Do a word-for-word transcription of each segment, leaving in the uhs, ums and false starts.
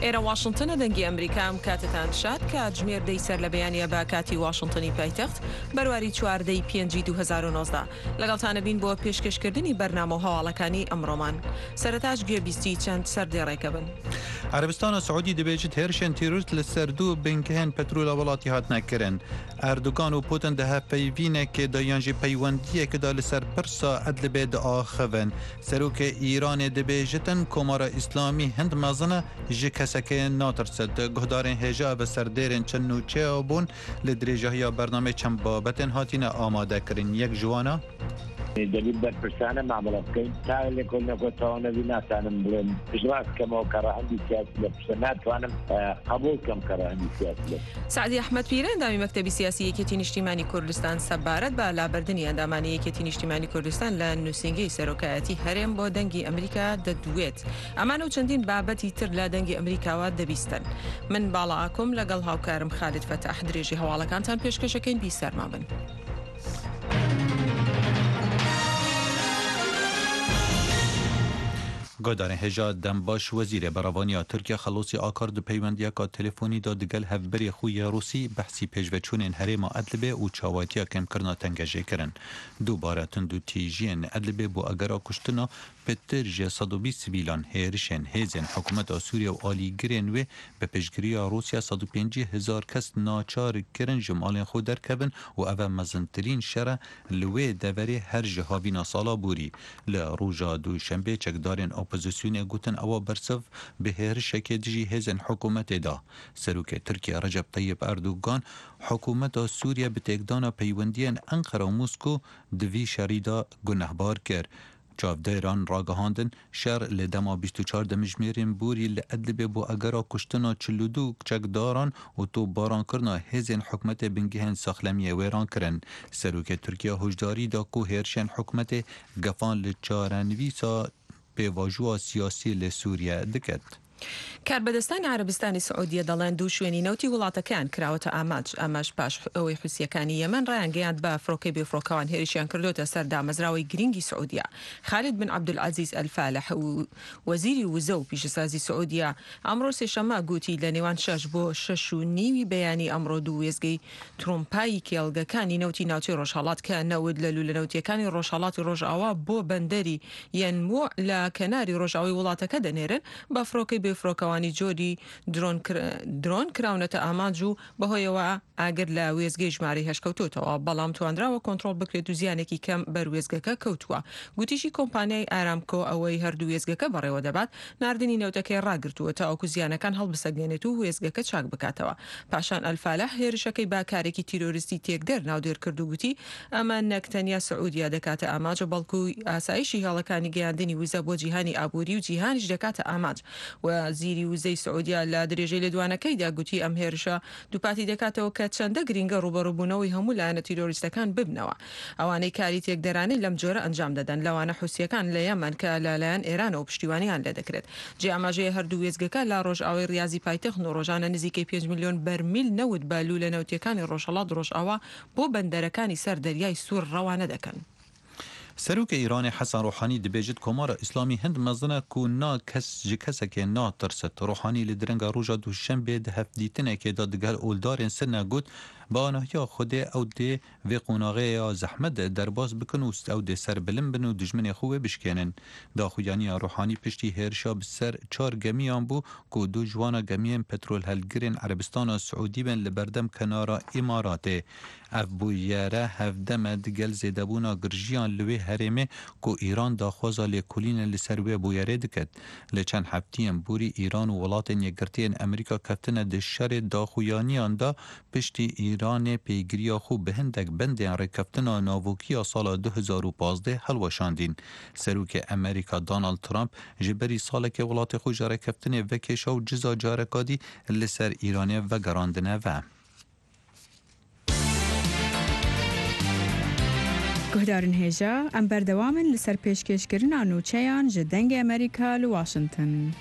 ئێرە واشنگتنە، دەنگی ئەمریکا. ئەم کاتتان شاد، کاتژمێر دەی سەر لە بەیانیە بە کاتی واشنگتنی پایتەخت، بەرواری چواردەی پێنجی دوو هەزار و نۆزدە. لەگەڵتانە بین بۆ پێشکەشکردنی بەرنامە و هەواڵەکانی ئەمڕۆمان. سەرەتاش گوێبیستی چەند سەر دێڕێکە بن. عەرەبستانە سعودی دەبێژێت هێرشێن تیرۆریست لەسەر دوو بنکەیەن پەترۆلە وڵاتی هاتنە کرن. ئەردوگان و پوتن دە هەڤپەیڤینێکێ دایان ژی پەیوەندیەکدا لەسەر پرسا ئەدلبێ داخەڤن. سەرۆکە ئیرانێ دەبێژتن کۆمارە ئیسلامی هەند مەزنە ژی کەسەکێ ناترسێت. گوهدارێن هێژا بە سەردێرێن چەند نوچەیە بوون لە درێژەهیا بەرنامەی چەند بابەتێن هاتینە ئامادەکردن. یەک ژوانە دەبێت بەرپرسانە مامەڵە بکەین. تا لێکۆڵینەوە تەواو نەبی، ناتانم بڵێم پشتڕاست کەمەوە کە ڕەهەندی سیاسی لە پشتە ناتوانم، ئە، قبول کەم کە ڕەهەندی سیاسی لە سعدی ئەحمەد پیرە، ئەندامی مەکتەبی سیاسی یەکێتی نیشتیمانی کوردستان سەبارەت بە لابردنی ئەندامانی یەکێتی نیشتیمانی کوردستان لە نووسینگەی سەرۆکایەتی هەرێم بۆ دەنگی ئەمریکا دەدوێت. ئەمانە و چەندین بابەتی تر لە دەنگی ئەمریکاوە دەبیستن. من باڵا ئاکۆم لەگەڵ هاوکارم خالد فەتاح درێژی هەواڵەکانتان پێشکەشەکەین، بیسەرما بن. Guhdarên hêja dem baş, Wezîrê Berevaniya Tirkiye Xelosî Akar di peywendiyeka telefonî de digel hevbirê xwe yê Rûsî behsî pêşveçûnên herêma Idlibê û çawatiya kêmkirina tengejê kirin. Dubare tundûtîjiyên Idlibê bo agera kuştina pitir ji sed û bîst sivîlan, hêrişên hêzên hikûmeta Sûriye û alîgirên wê bi piştgiriya Rûsya sed û pêncî hezar kes naçar kirin ji malên xwe derkevin û ev e mezintirîn şer e li wê deverê her ji havîna sala borî. Li roja Duşembê çekdarên opozisyonê gotin ewa bersiv bi hêrişekê dijî hêzên hikûmetê da. Serokê Tirkiye Recep Tayyip Erdogan hikûmeta Sûriye bi têkdana peywendiyên Enqera û Mosko di vî şerî de gunehbar kir. Çavdêran ragihandin, şer li dema bîst û çar demjimêrên borî li Idlibê bo agera kuştina çil û du çekdaran û topbarankirina hêzên hikûmetê bingehên saxlemiyê wêran kirin. Serokê Tirkiye hişdarî da ku hêrişên hikûmetê gefan li çarenivîsa pêvajoya siyasî li Sûriye diket. کاربەدەستانی عەرەبستانی سعودیە دەڵێن دوو شوێنی نەوتی وڵاتەکەیان کراوەتە ئامانج، ئەمەش پاش ئەوەی حوسیەکانی یەمەن ڕایانگەیاند بە فڕۆکەی بێفڕۆکەوان هێرشیان کردوتە سەر دامەزراوەی گرنگی سعودیە. خالد بن عەبدولعەزیز ئەلفالح و وەزیری وزە و پیشەسازی سعودیە ئەمڕۆ سێشەممە گوتی لە نێوان شەش بۆ شەش و نیوی بەیانی ئەمڕۆ دوو وێزگەی ترۆمپایی کێڵگەکانی نەوتی ناوچەی ڕۆژهەڵات کە نەوت لە لوولە نەوتیەکانی ڕۆژهەڵاتی ڕۆژاوا بۆ بەندەری یەنموع لە کەناری ڕۆژاوی وڵاتەکە دەنێرن، بە فڕۆکەی بێفڕۆکەوانی جۆری درۆن کر-، درۆن کراونەتە ئامانج و بەهۆیەوە ئاگر لە وێزگەی ژمارەی هەشت کەوتوتەوە، بەڵام تواندراوە کۆنترۆل بکرێت و زیانێکی کەم بەر وێزگەکە کەوتووە. گوتیشی کۆمپانیای ئارامکۆ ئەوەی هەردوو وێزگەکە بەڕێوە دەبات، ناردنی نەوتەکەی ڕاگرتووە تاوەکو زیانەکان هەڵبسەنگێنێت و وێزگەکە چاک بکاتەوە. پاشان ئەلفالح هێرشەکەی بە کارێکی تیرۆریستی تێکدەر ناودێر کرد و گوتی، ئەمە نەک تەنیا سعودیا دەکاتە ئامانج، بەڵکو ئاسایشی هێڵەکانی گەیاندنی وزە بۆ جیهانی ئابووری و جیهانیش دەکاتە ئامانج. وەزیری وزەی سعودیا لە درێژەی لێدوانەکەیدا گوتی، ئەم هێرشە دووپاتی دەکاتەوە کە چەندە گرینگە ڕوبەڕووبوونەوەی هەموو لایەنە تیرۆریستەکان ببنەوە. ئەوانەی کاری تێکدەرانەی لەم جۆرە ئەنجام دەدەن، لەوانە حوسیەکان لە یەمەن کە لەلایەن ئێرانەوە پشتیوانیان لێ دەکرێت. جێ ئاماژەیە هەردوو وێزگەکە لە ڕۆژئاوای ریازی پایتەخت و ڕۆژانە نزیکەی پێنج ملیۆن بەرمیل نەوت بە لوولە نەوتیەکانی ڕۆژهەڵات ڕۆژئاوا بۆ بەندەرەکانی سەر دەریای سوور ڕەوانە دەکەن. Serokê Îranê Hesen Ruhanî dibêjit Komara Îslamî hind mezin e ku na kes ji kesekê natirsit. Ruhanî li direnga roja Duşembê di hevdîtinekê de digel oldarên Sinne got, bi anahiya Xwedê ew dê vê qonaxê ya zehmet derbas bikin û ew dê serbilind bin û dijminê xwe wê bişkênin. Daxuyaniya Ruhanî piştî hêrişa bi ser çar gemiyan bû ku du ji wana gemiyên petrolhelgirên Erebistana Siûdî bên li berdem kenara Îmaratê. Ev bûyere hevdem e digel zêdebûna girjiyan li wê herêmê ku Îran daxwaza lêkolînê li ser wê bûyerê diket. Li çend heftiyên borî Îran û Welatên Yekgirtiyên Amerîka keftine di şerê daxuyaniyan de, piştî Îranê pêgiriya xwe bi hindek bendên rêkeftina navokî ya sala du hezar û pazdeh helweşandîn. Serokê Amerîka Donald Trump ji berî salekê welatê xwe ji rêkeftinê vekêşa û ciza careka dî li ser Îranê vegerandine ve. Guhdarên hêja, em berdewam in li ser pêşkêşkirina nûçeyan ji Dengê Amerîka li Washington.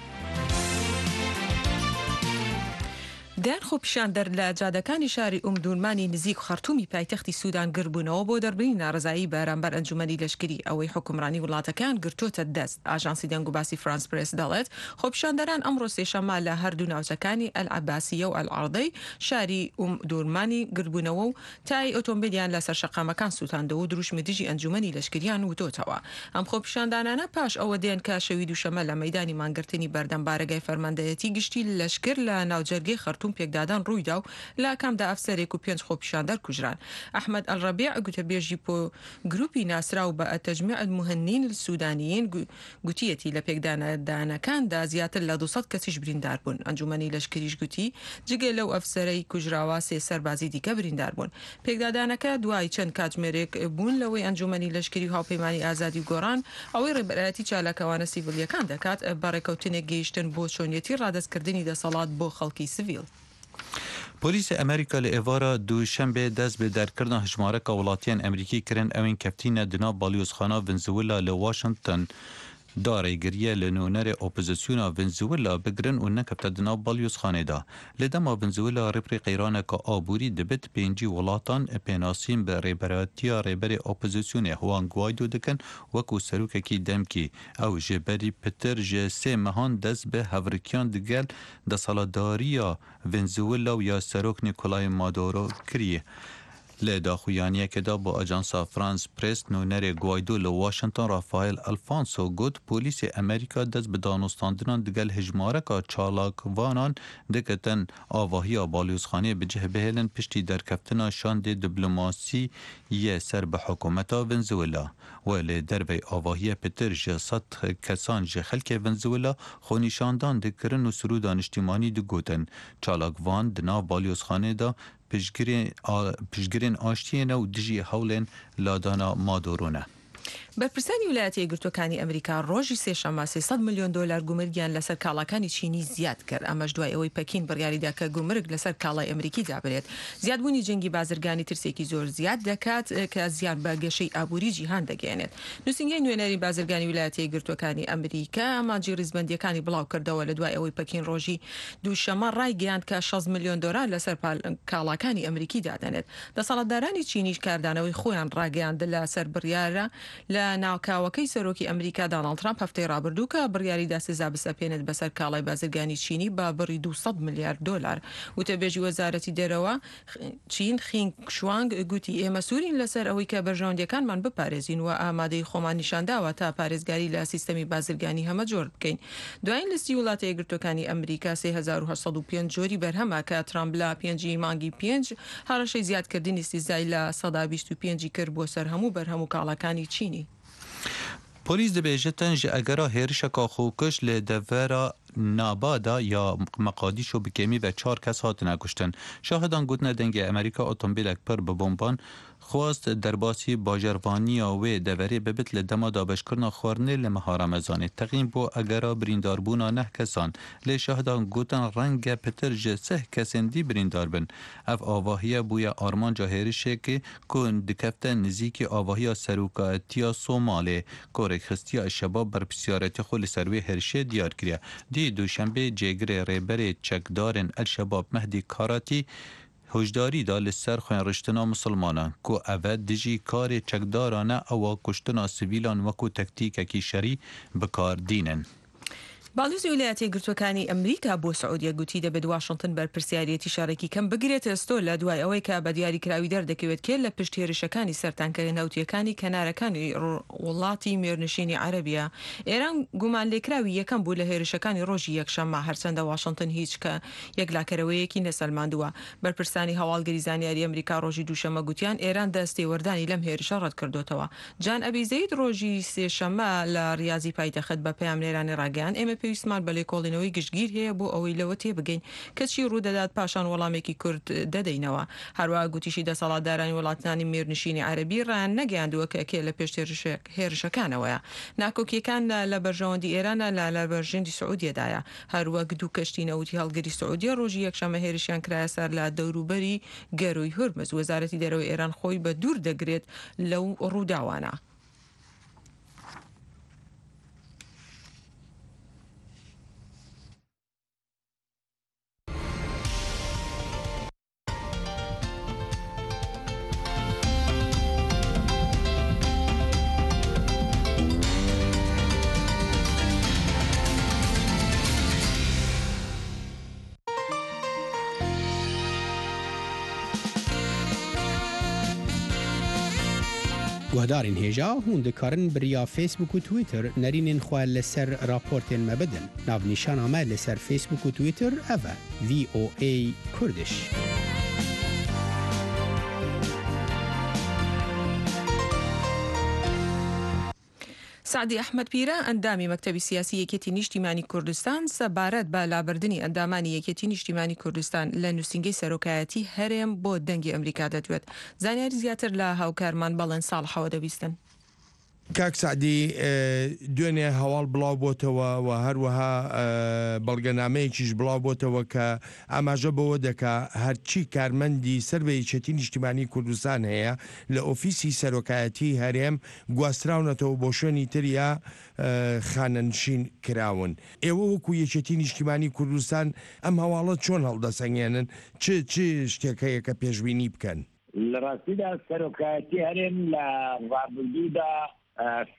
دەیان خۆپیشاندەر لە جادەکانی شاری ئوم دورمانی نزیک خەرتومی پایتەختی سوودان گربوونەوە بۆ دەربرینی ناڕەزایی بەرامبەر ئەنجومەنی لەشکری، ئەوەی حکومڕانی وڵاتەکەیان گرتووتە دەست. ئاژانسی دەنگ و باسی فرانس پرێس دەڵێت، خۆپیشاندەران ئەمڕۆ سێشەممە لە هەردوو ناوچەکانی ئەل عەباسیە و ئەل عەڕدەی شاری ئوم دورمانی گربوونەوە و تای ئۆتۆمبیلیان لەسەر شەقامەکان سووتاندەوە و دروشمی دژی ئەنجومەنی لەشکریان وتۆتەوە. ئەم خۆپیشاندانانە پاش ئەوە دێن کە شەوی دووشەممە لە مەیدانی مانگرتنی بەردەم بارەگای فەرماندەیەتی گشتی لەشکر لە ناوجەرگەی خەرتوم پێکدادان ڕوویدا و لە کامدا ئەفسەرێک و پێنج خۆپیشاندەر کوژران. ئەحمەد ئەلڕەبیع، گوتەبێژی پۆ-، گروپی ناسراو بە تەجمیع المهنین سودانیین، گو-، گوتیەتی لە پێکدانەدانەکاندا زیاتر لە دوو سەد کەسیش بریندار بوون. ئەنجومەنی لەشکریش گوتی، جگە لەو ئەفسەرەی کوژراوە، سێ سەربازی دیکە بریندار بوون. پێکدادانەکە دوای چەند کاتژمێرێک بوون لەوەی ئەنجومەنی لەشکری و هاوپەیمانی ئازادی و گۆڕان، ئەوەی ڕێبەرایەتی چالاکەوانە سیڤیلیەکان دەکات، بە ڕێکەوتنێک گەیشتن بۆ چۆنیەتی ڕادەستکردنی دەسەڵات بۆ خەڵکی سڤیل. Polîsê Amerîka li êvara Duşembê dest bi derkirina hijmareka welatiyên Amerîkî kirin, ewên keftîne di nav balyozxana Venezuela li Washington da rêgiriye li nûnerê opozisyona Venezuela bigirin û nekefte di nav balyozxanê de. Li dema Venezuela rêpirê qeyraneke aborî dibit, pêncî welatan pênasîn bi rêberatiya rêberê opozisyonê Juan Guaido dikin wekû serokekî demkî. Ew ji berî pitir ji sê mehan dest bi hevrikiyan digel desthilatdariya Venezuela û ya serok Nicolai Maduro kiriye. Li daxuyaniyekê de bo ajansa France Press nûnerê Guaido li Washington Rafael Alfonso got, polîsê Amerîka dest bi danûstandinan digel hijmareka çalakvanan dikitin avahiya balyozxanê bi cih bihêlin piştî derkeftina şandê diplomasî yê ser bi hikûmeta Venezuela. We li dervey avahiye pitir ji sed kesan ji xelkê Venezuela xwenîşandan dikirin û sirûda niştîmanî digotin. Çalakvan di nav balyozxanê de piştgirê-, a-, piştgirên aştiyê ne û dijî hewlên ladana Maduro ne. بەرپرسانی ویلایەتە یەکگرتووەکانی ئەمریکا ڕۆژی سێشەممە سێ سەد ملیۆن دۆلار گومرگیان لەسەر کاڵاکانی چینی زیاد کرد. ئەمەش دوای ئەوەی پەکین بڕیاریدا کە گومرگ لەسەر کاڵای ئەمریکی دابنێت. زیادبوونی جەنگی بازرگانی ترسێکی زۆر زیاد دەکات، کە زیان بە گەشەی ئابووری جیهان دەگەیەنێت. نووسینگەی نوێنەری بازرگانی ویلایەتە یەکگرتووەکانی ئەمریکا ئامانجی ڕیزبەندیەکانی بڵاو کردەوە لە دوای ئەوەی پەکین ڕۆژی دووشەممە ڕایگەیاند کە شەست ملیۆن دۆلار لەسەر پال-، کاڵاکانی ئەمریکی دادەنێت. دەسەڵاتدارانی چینیش کاردانەوەی خۆیان ڕاگەیاند لەسەر بڕیارە لە ناوکاوەکەی سەرۆکی ئەمریکا داناڵد ترامپ هەفتەی ڕابردوو کە بڕیاری دا سزا بسەپێنێت بەسەر کاڵای بازرگانی چینی بە بڕی دوو سەد ملیارد دۆلار. وتەبێژی وەزارەتی دەرەوە چین خینگ شوانگ گوتی، ئێمە سوورین لەسەر ئەوەی کە بەرژەوەندیەکانمان بپارێزین و ئامادەی خۆمان نیشانداوە تا پارێزگاری لە سیستەمی بازرگانی هەمە جۆر بکەین. دوایین لیستی وڵاتە یەکگرتووەکانی ئەمریکا سێ هەزار و هەشت سەد و پێنج جۆری بەرهەمە کە ترامپ لە پێنجی مانگی پێنج هەڕەشەی زیادکردنی سزای لە سەدا بیست و پێنجی کرد بۆ سەر هەموو بەرهەم و کاڵاکانی چینی. Polîs dibêjitin ji egera hêrişeka xwekûş li devera Nabada ya Meqadîşo bi kêmî ve çar kes hatine kuştin. Şahidan gotine dengê Amerîka otomobîlek pir bi bomban xwest derbasî bajarvaniya wê deverê bibit li dema dabeşkirina xwarinê li meha Remezanê. Texmîn bû egera birîndarbûna neh kesan. Lê şahidan gotin renge pitir ji sih kesên dî birîndar bin. Ev avahiye bûye armanca hêrişekê ku dikefte nizîkî avahiya serokatiya Somalê, ku rêkxistiya El-Şebab berpirsiyaretiya xwe li ser wê hêrişê diyar kiriye. Dî duşembê cêgirê rêberê çekdarên El-Şebab Mehdî Karatî hişdarî da li ser xwênriştina misilmanan, ku ev e dijî karê çekdaran e, ewa kuştina sivîlan wekû tektîkekî şerî bi kar dînin. باڵیۆزی ویلایەتە یەکگرتووەکانی ئەمریکا بۆ سعودیە گوتی دەبێت واشنگتن بەرپرسیارەتی شەڕێکی کەم بگرێتە ئەستۆ، لە دوای ئەوەی کە بە دیاریکراوی دەردەکەوێت کێ لە پشت هێرشەکانی سەرتانکە نەوتیەکانی کەنارەکانی ڕ-، وڵاتی مێرنشینی عەرەبیە. ئێران گومان لێکراوی یەکەم بوو لە هێرشەکانی ڕۆژی یەکشەممە، هەرچەندە واشنگتن هیچ کە یەکلاکەرەوەیەکی نەسەلماندووە. بەرپرسانی هەواڵگری زانیاری ئەمریکا ڕۆژی دووشەممە گوتیان ئێران دەست تێوەردانی لەم هێرشە ڕەت کردوتەوە. جان ئەبی زەید ڕۆژی سێشەممە لە ڕیازی پایتەخت بە پەیامنێرانی ڕاگەیاند، ئێمە پێویستمان بە لێکۆڵینەوەی گشتگیر هەیە بۆ ئەوەی لەوە تێبگەین کە چی ڕوودەدات، پاشان وەڵامێکی کورت دەدەینەوە. هەروەها گوتیشی دەسەڵاتدارانی وڵاتانی مێرنشینی عەرەبی ڕایان نەگەیاندووە کە کێ لە پێش هێرشە-، هێرشەکانەوەیە. ناکۆکیەکان لە، لە بەرژەوەندی ئێرانە، لە، لە بەرژەندی سعودیەدایە. هەروەک دوو کەشتی نەوتی هەڵگری سعودیە ڕۆژی یەکشەممە هێرشیان کرایە سەر لە دەوروبەری گەروی هورمز. وەزارەتی دەرەوەی ئێران خۆی بە دوور دەگرێت لەو ڕووداوانە. Guhdarên hêja, hûn dikarin bi riya Facebook û Twitter nerînên xwe li ser raportên me bidin. Navnîşana me li ser Facebook û Twitter ev e, V O A Kurdish. سەعدی ئەحمەد پیرە، ئەندامی مەکتەبی سیاسی یەکێتی نیشتیمانی کوردستان، سەبارەت بە لابردنی ئەندامانی یەکێتی نیشتیمانی کوردستان لە نووسینگەی سەرۆکایەتی هەرێم بۆ دەنگی ئەمریکا دەدوێت. زانیاری زیاتر لە هاوکارمان بەڵێن ساڵحەوە دەبیستن. کاک سەعدی، دوێنێ هەواڵ بڵاو بۆتەوە و هەروەها بەڵگەنامەیەکیش بڵاو بۆتەوە کە ئاماژە بەوە دەکا هەرچی کارمەندی سەر بە یەکێتی نیشتیمانی کوردستان هەیە لە ئۆفیسی سەرۆکایەتی هەرێم گواستراونەتەوە بۆ شوێنی تریا خانەنشین کراون. ئێوە وەکو یەکێتی نیشتیمانی کوردستان ئەم هەواڵە چۆن هەڵدەسەنگێنن؟ چ چ شتێک هەیە کە پێشبینی بکەن؟ لە ڕاستیدا سەرۆکایەتی هەرێم لە ڕابردوودا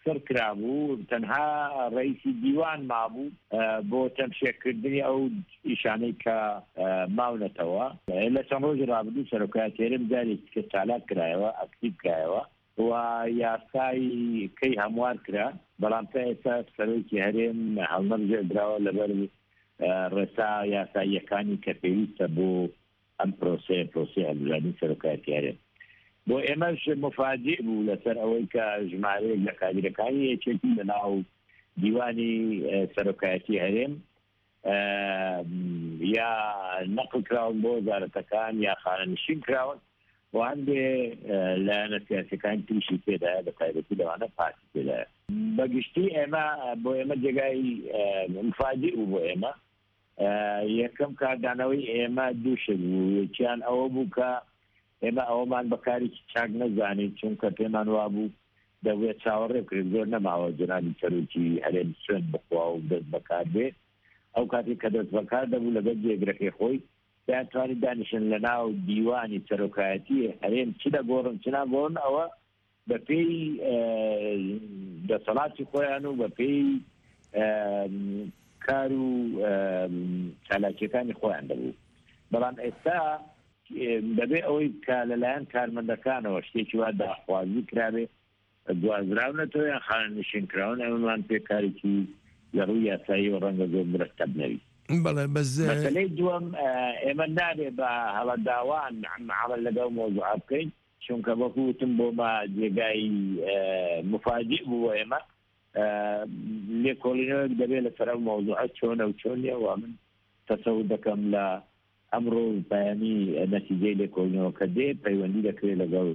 سڕ کرابوو، تەنها ڕئیسی دیوان مابوو بۆ تەمشێکردنی ئەو ئیشانەی کە ماونەتەوە. لە چەند ڕۆژی ڕابردوو سەرۆکایەتی هەرێم جارێکی تر چالاک کرایەوە، ئەکتیڤ کرایەوە و یاسای کەی هەموار کرا، بەڵام تا ئێستا سەرۆکی هەرێم هەڵنەبژێردراوە لەبەر ڕێسا یاساییەکانی کە پێویستە بۆ ئەم پرۆسەیە، پرۆسەی هەڵبژاردنی سەرۆکایەتی هەرێم. بۆ ئێمەش مفاجئ بوو لەسەر ئەوەی کە ژمارەیەک لە کادیرەکانی یەکێتی لە ناو دیوانی سەرۆکایەتی هەرێم یا نەقل کراون بۆ وەزارەتەکان یا خانەنشین کراون و هەندێ لایەنە سیاسیەکان تریشی تێدایە، بە تایبەتی لەوانە پارتی تێدایە. بەگشتی ئێمە، بۆ ئێمە جێگای مفاجئ بوو بۆ ئێمە. یەکەم کاردانەوەی ئێمە دوو شت بوو، یەکیان ئەوە بوو کە ئێمە ئەوەمان بە کارێکی چاک نەزانی، چونکە پێمان وابوو دەبێت چاوەڕێ بکرێت، زۆر نەماوە جەنابی سەرۆکی هەرێم سوێند بخوا و دەست بەکار بێ. ئەو کاتێک کە دەست بەکار دەبوو لەگەڵ جێگرەکەی خۆی دەیانتوانی دانیشن لە ناو دیوانی سەرۆکایەتی هەرێم چ دەگۆڕن چ ناگۆڕن، ئەوە بە پێی دەسەڵاتی خۆیان و بە پێی کار و چالاکیەکانی خۆیان دەبوو. بەڵام ئێستا دەبێ ئەوەی کە لەلایەن کارمەندەکانەوە شتێکی وا داخوازی کرابێ، گوازراونەتەوە یان خانەنشین کراون، ئەمەمان پێ کارێکی لە ڕووی یاسایی و ڕەنگە زۆر مرەتەب نەبی. بەڵێ، بەس مەسەلەی دووەم، ئێمە نابێ بە هەڵەداوان عەمەل لەگەڵ مەوزوعە بکەین، چونکە وەکو وتم بۆمە جێگای مفاجئ بوو بۆ ئێمە. لێکۆڵینەوەیەک دەبێت لەسەر ئەو مەوزوعە چۆنە و چۆن نیە، و من تەسەور دەکەم لە ئەمڕۆ بەیانی نەتیجەی لێکۆڵینەوەکە دێ، پەیوەندی دەکرێت لەگەڵ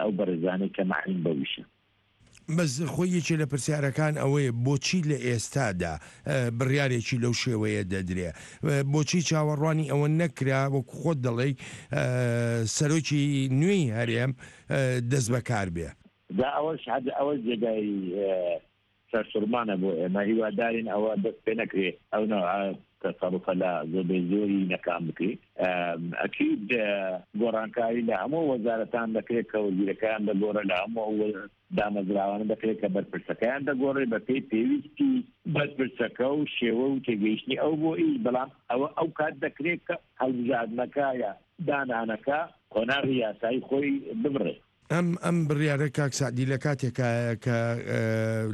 ئەو بەڕێزانەی کە مەعنین بەو ئیشە. بەس خۆی یەکێ لە پرسیارەکان ئەوەیە، بۆچی لە ئێستادا بڕیارێکی لەو شێوەیە دەدرێ؟ بۆچی چاوەڕوانی ئەوە نەکرا، وەکو خۆت دەڵێی، سەرۆکی نوێی هەرێم دەست بەکار بێ؟ جا ئەوەش هەر ئەوە جێگای سەرسوڕمانە بۆ ئێمە. هیوادارین ئەوە دەست پێ نەکرێ ئەو نەوعە تەسەڕوفە لە زۆربەی زۆری نەکان بکرێ. ئەکید گۆڕانکاری لە هەموو وەزارەتان دەکرێت کە وەزیرەکەیان دەگۆڕێ، لە هەموو ئەو دامەزراوانە دەکرێت کە بەرپرسەکەیان دەگۆڕێ بە پێی پێویستی بەرپرسەکە و شێوە و تێگەیشتنی ئەو بۆ ئیش. بەڵام ئەوە ئەو کات دەکرێت کە هەڵبژاردنەکە یا دانانەکە قۆناغی یاسایی خۆی ببڕێت. ئەم ئەم بڕیارە کاک سەعدی لە کاتێکایە کە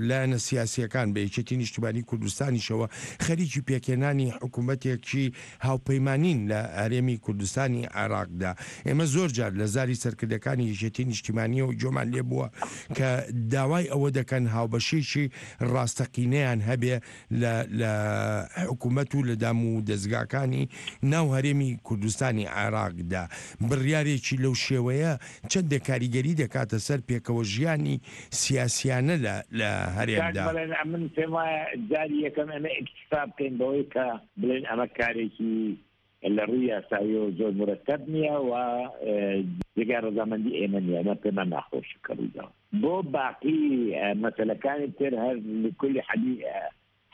لایەنە سیاسییەکان بە یەکێتی نیشتیمانی کوردستانیشەوە خەریکی پێکهێنانی حکوومەتێکی هاوپەیمانین لە هەرێمی کوردستانی عێراقدا. ئێمە زۆر جار لە زاری سەرکردەکانی یەکێتی نیشتیمانییەوە گوێمان لێ بووە کە داوای ئەوە دەکەن هاوبەشییەکی ڕاستەقینەیان هەبێ لە لە حکوومەت و لە دام و دەزگاکانی ناو هەرێمی کوردستانی عێراقدا. بڕیارێکی لەو شێوەیە چەندێک کاریگەری دەکاتە سەر پێکەوەژیانی سیاسییانە لە لە هەرێمدا؟ کاک بەڵێن، من پێم وایە جاری یەکەم ئێمە ئیکتیفا بکەین بەوەی کە بڵێن ئەمە کارێکی لە ڕووی یاساییەوە زۆر مرەتەب نییە و جێگای ڕەزامەندی ئێمە نییە. ئەمە پێمان ناخۆشە کە ڕوویداوە. بۆ باقی مەسەلەکانی تر، هەر لکل حەدی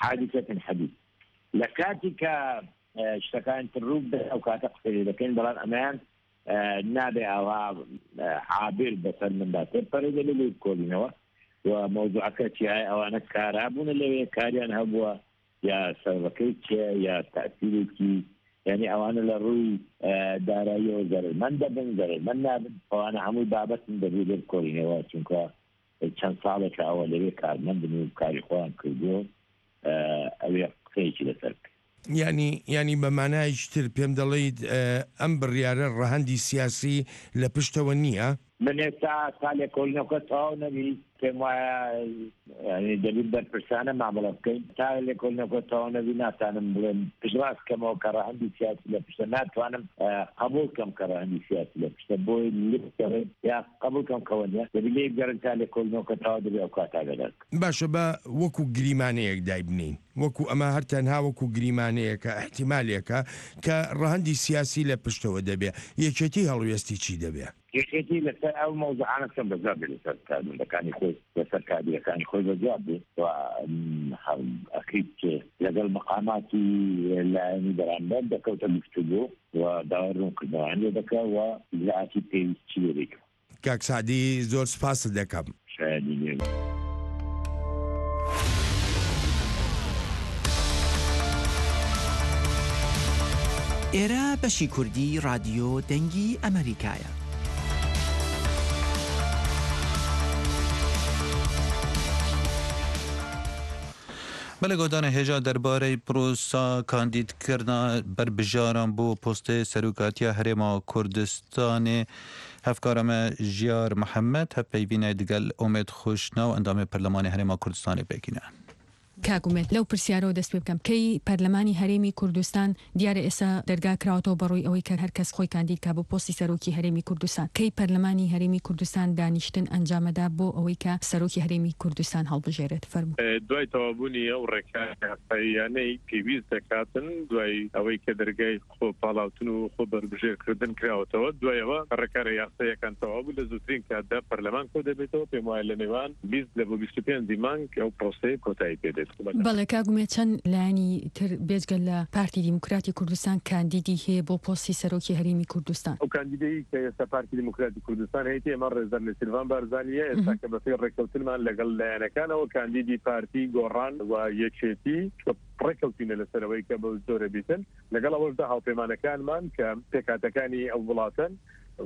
حادثة حديث. لە کاتی کە شتەکانی تر ڕوو بدەن، ئەو کاتە قسەی لێ دەکەین، بەڵام ئەمەیان نابێ ئاوا عابر بەسەر مندا تێپەڕێ، دەبێ لێ بکۆڵینەوە و مەوزوعەکە چیایە. ئەوانە کارا بوونە لەوێ، کاریان هەبووە یا سەبەبەکەی چیە یا تەئسیرێکی، یانی ئەوانە لە ڕووی داراییەوە زەرەرمەند دەبن، زەرەرمەند نابن، ئەوانە هەمووی بابەتن دەبێ لێ بکۆڵینەوە، چونکە چەند ساڵێکە ئەوە لەوێ کارمەندن و کاری خۆیان کردووە، ئە، ئەوێ قسەیەکی لەسەر بکەین. یعنی، یعنی بە مانایەکی تر پێم دەڵێیت، ئە، ئەم بڕیارە ڕەهەندی سیاسی لە پشتەوە نییە؟ من ئێستا تا لێکۆڵینەوەکە تەواو نەبی، پێم وایە، یعنی دەبێت بەرپرسانە مامەڵە بکەین. تا لێکۆڵینەوەکە تەواو نەبی، ناتانم بڵێم پشتڕاست کەمەوە کە ڕەهەندی سیاسی لە پشتە. ناتوانم، ئە، قبول کەم کە ڕەهەندی سیاسی لە پشتە. بۆی لێ بگەڕێن یا قبول کەم کەوە نیە. دەبێت لێ بگەڕێن تا لێکۆڵینەوەکە تەواو دەبێت، ئەو کاتە ئاگادار بکەن. باشە، بە وەکو گریمانەیەک دایبنین. وەکو ئەمە هەر تەنها وەکو گریمانەیەکە، ئەحتیمالێکە کە ڕەهەندی سیاسی لە پشتەوە دەبێ. یەکێتی هەڵوێستی چی دەبێ؟ یەکێتی لەسەر ئەو مەوزوعانە چەند بەجار بێ لەسەر کارمەندەکانی خۆی، لەسەر کادرەکانی خۆی بەجار بێ. و، ئەم، هەم ئەکید لەگەڵ مەقاماتی لایەنی بەرامبەر دەکەوتە گفتوگۆ و داوای ڕوونکردنەوەیان لێ دەکا و ئیجراعاتی پێویست چی لێ دەکا. کاک سعدی، زۆر سپاست دەکەم. شایەنی نێ. ئێرە بەشی کوردی رادیۆ دەنگی ئەمریکایە. بەڵێ، گۆدانە هێژا دەربارەی پرۆسا کاندیدکردنا بەربژاران بۆ پۆستێ سەرۆکاتیە هەرێما کوردستانێ. هەفکارە me Jiyar Mihemed hevpeyvînê digel Omêd Xweşnaw endamê Perlemanê Herêma Kurdistanê pêkîne. کاک ئومێد، لەو پرسیارەوە دەست پێ بکەم، کەی پەرلەمانی هەرێمی کوردستان دیارە ئێستا دەرگا کراوەتەوە بەڕووی ئەوەی کە هەر کەس خۆی کاندید کا بۆ پۆستی سەرۆکی هەرێمی کوردستان، کەی پەرلەمانی هەرێمی کوردستان دانیشتن ئەنجامەدا بۆ ئەوەی کە سەرۆکی هەرێمی کوردستان هەڵبژێرێت؟ فەرموو. ئێ، دوای تەواوبوونی ئەو ڕێکارە یاساییانەی پێویست دەکاتن، دوای ئەوەی کە دەرگای خۆ پاڵاوتن و خۆ بەربژێرکردن کراوەتەوە، دوایەوە ڕێکارە یاساییەکان تەواو بوو، لە زووترین کاتدا پەرلەمان کۆ دەبێتەوە. پێم وایە لە نێوان بیست لە بۆ بیست و پێنج مانگ ئەو پرۆسەیە کۆتایی پێ دێت. بەڵێ، کاک ئومێد، چەند لایەنی تر بێجگە لە پارتی دیموکراتی کوردستان کاندیدی هەیە بۆ پۆستی سەرۆکی هەرێمی کوردستان؟ ئەو کاندیدەی کە ئێستا پارتی دیموکراتی کوردستان هەیەی، ئێمە ڕێزدەر نێچیروان بارزانیە. ئێستا مهم. کە بەپێی ڕێککەوتنمان لەگەڵ لایەنەکانەوە، کاندیدی پارتی، گۆڕان و یەکێتی، کە ڕێککەوتینە لەسەرەوەی کە بەو جۆرە بیتن. لەگەڵ ئەوەشدا هاوپەیمانەکانمان کە پێکاتەکانی ئەو وڵاتن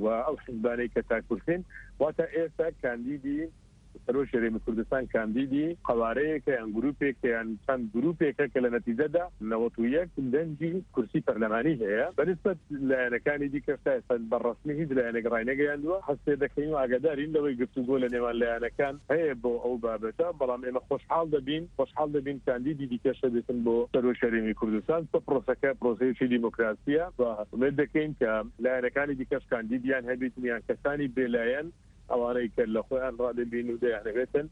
و ئەو حزبانەی کە تاکورسین، واتە ئێستا کاندیدی سەرۆکی هەرێمی کوردستان کاندیدی قەوارەیەکە یان گروپێکە یان چەند گروپێکە کە لە نەتیجەدا نەوەت و یەک دەنگی کورسی پەرلەمانی هەیە. بەنسبەت لایەنەکانی دیکەش تا ئێستا بە ڕەسمی هیچ لایەنێک ڕاینەگەیاندووە. هەست پێ دەکەین و ئاگادارین لەوەی گفتوگۆ لە نێوان لایەنەکان هەیە بۆ ئەو بابەتە، بەڵام ئێمە خۆشحاڵ دەبین، خۆشحاڵ دەبین کاندیدی دیکەش دەبێتن بۆ سەرۆکی هەرێمی کوردستان. چونکە پرۆسەکە پرۆسەیەکی دیموکراسیە و ئومێد دەکەین کە لایەنەکانی دیکەش کاندیدیان هەبێتن یان کەسانی بێلایەن ئەوانەی کە لە خۆیان ڕادەبین و دەیانەوێتن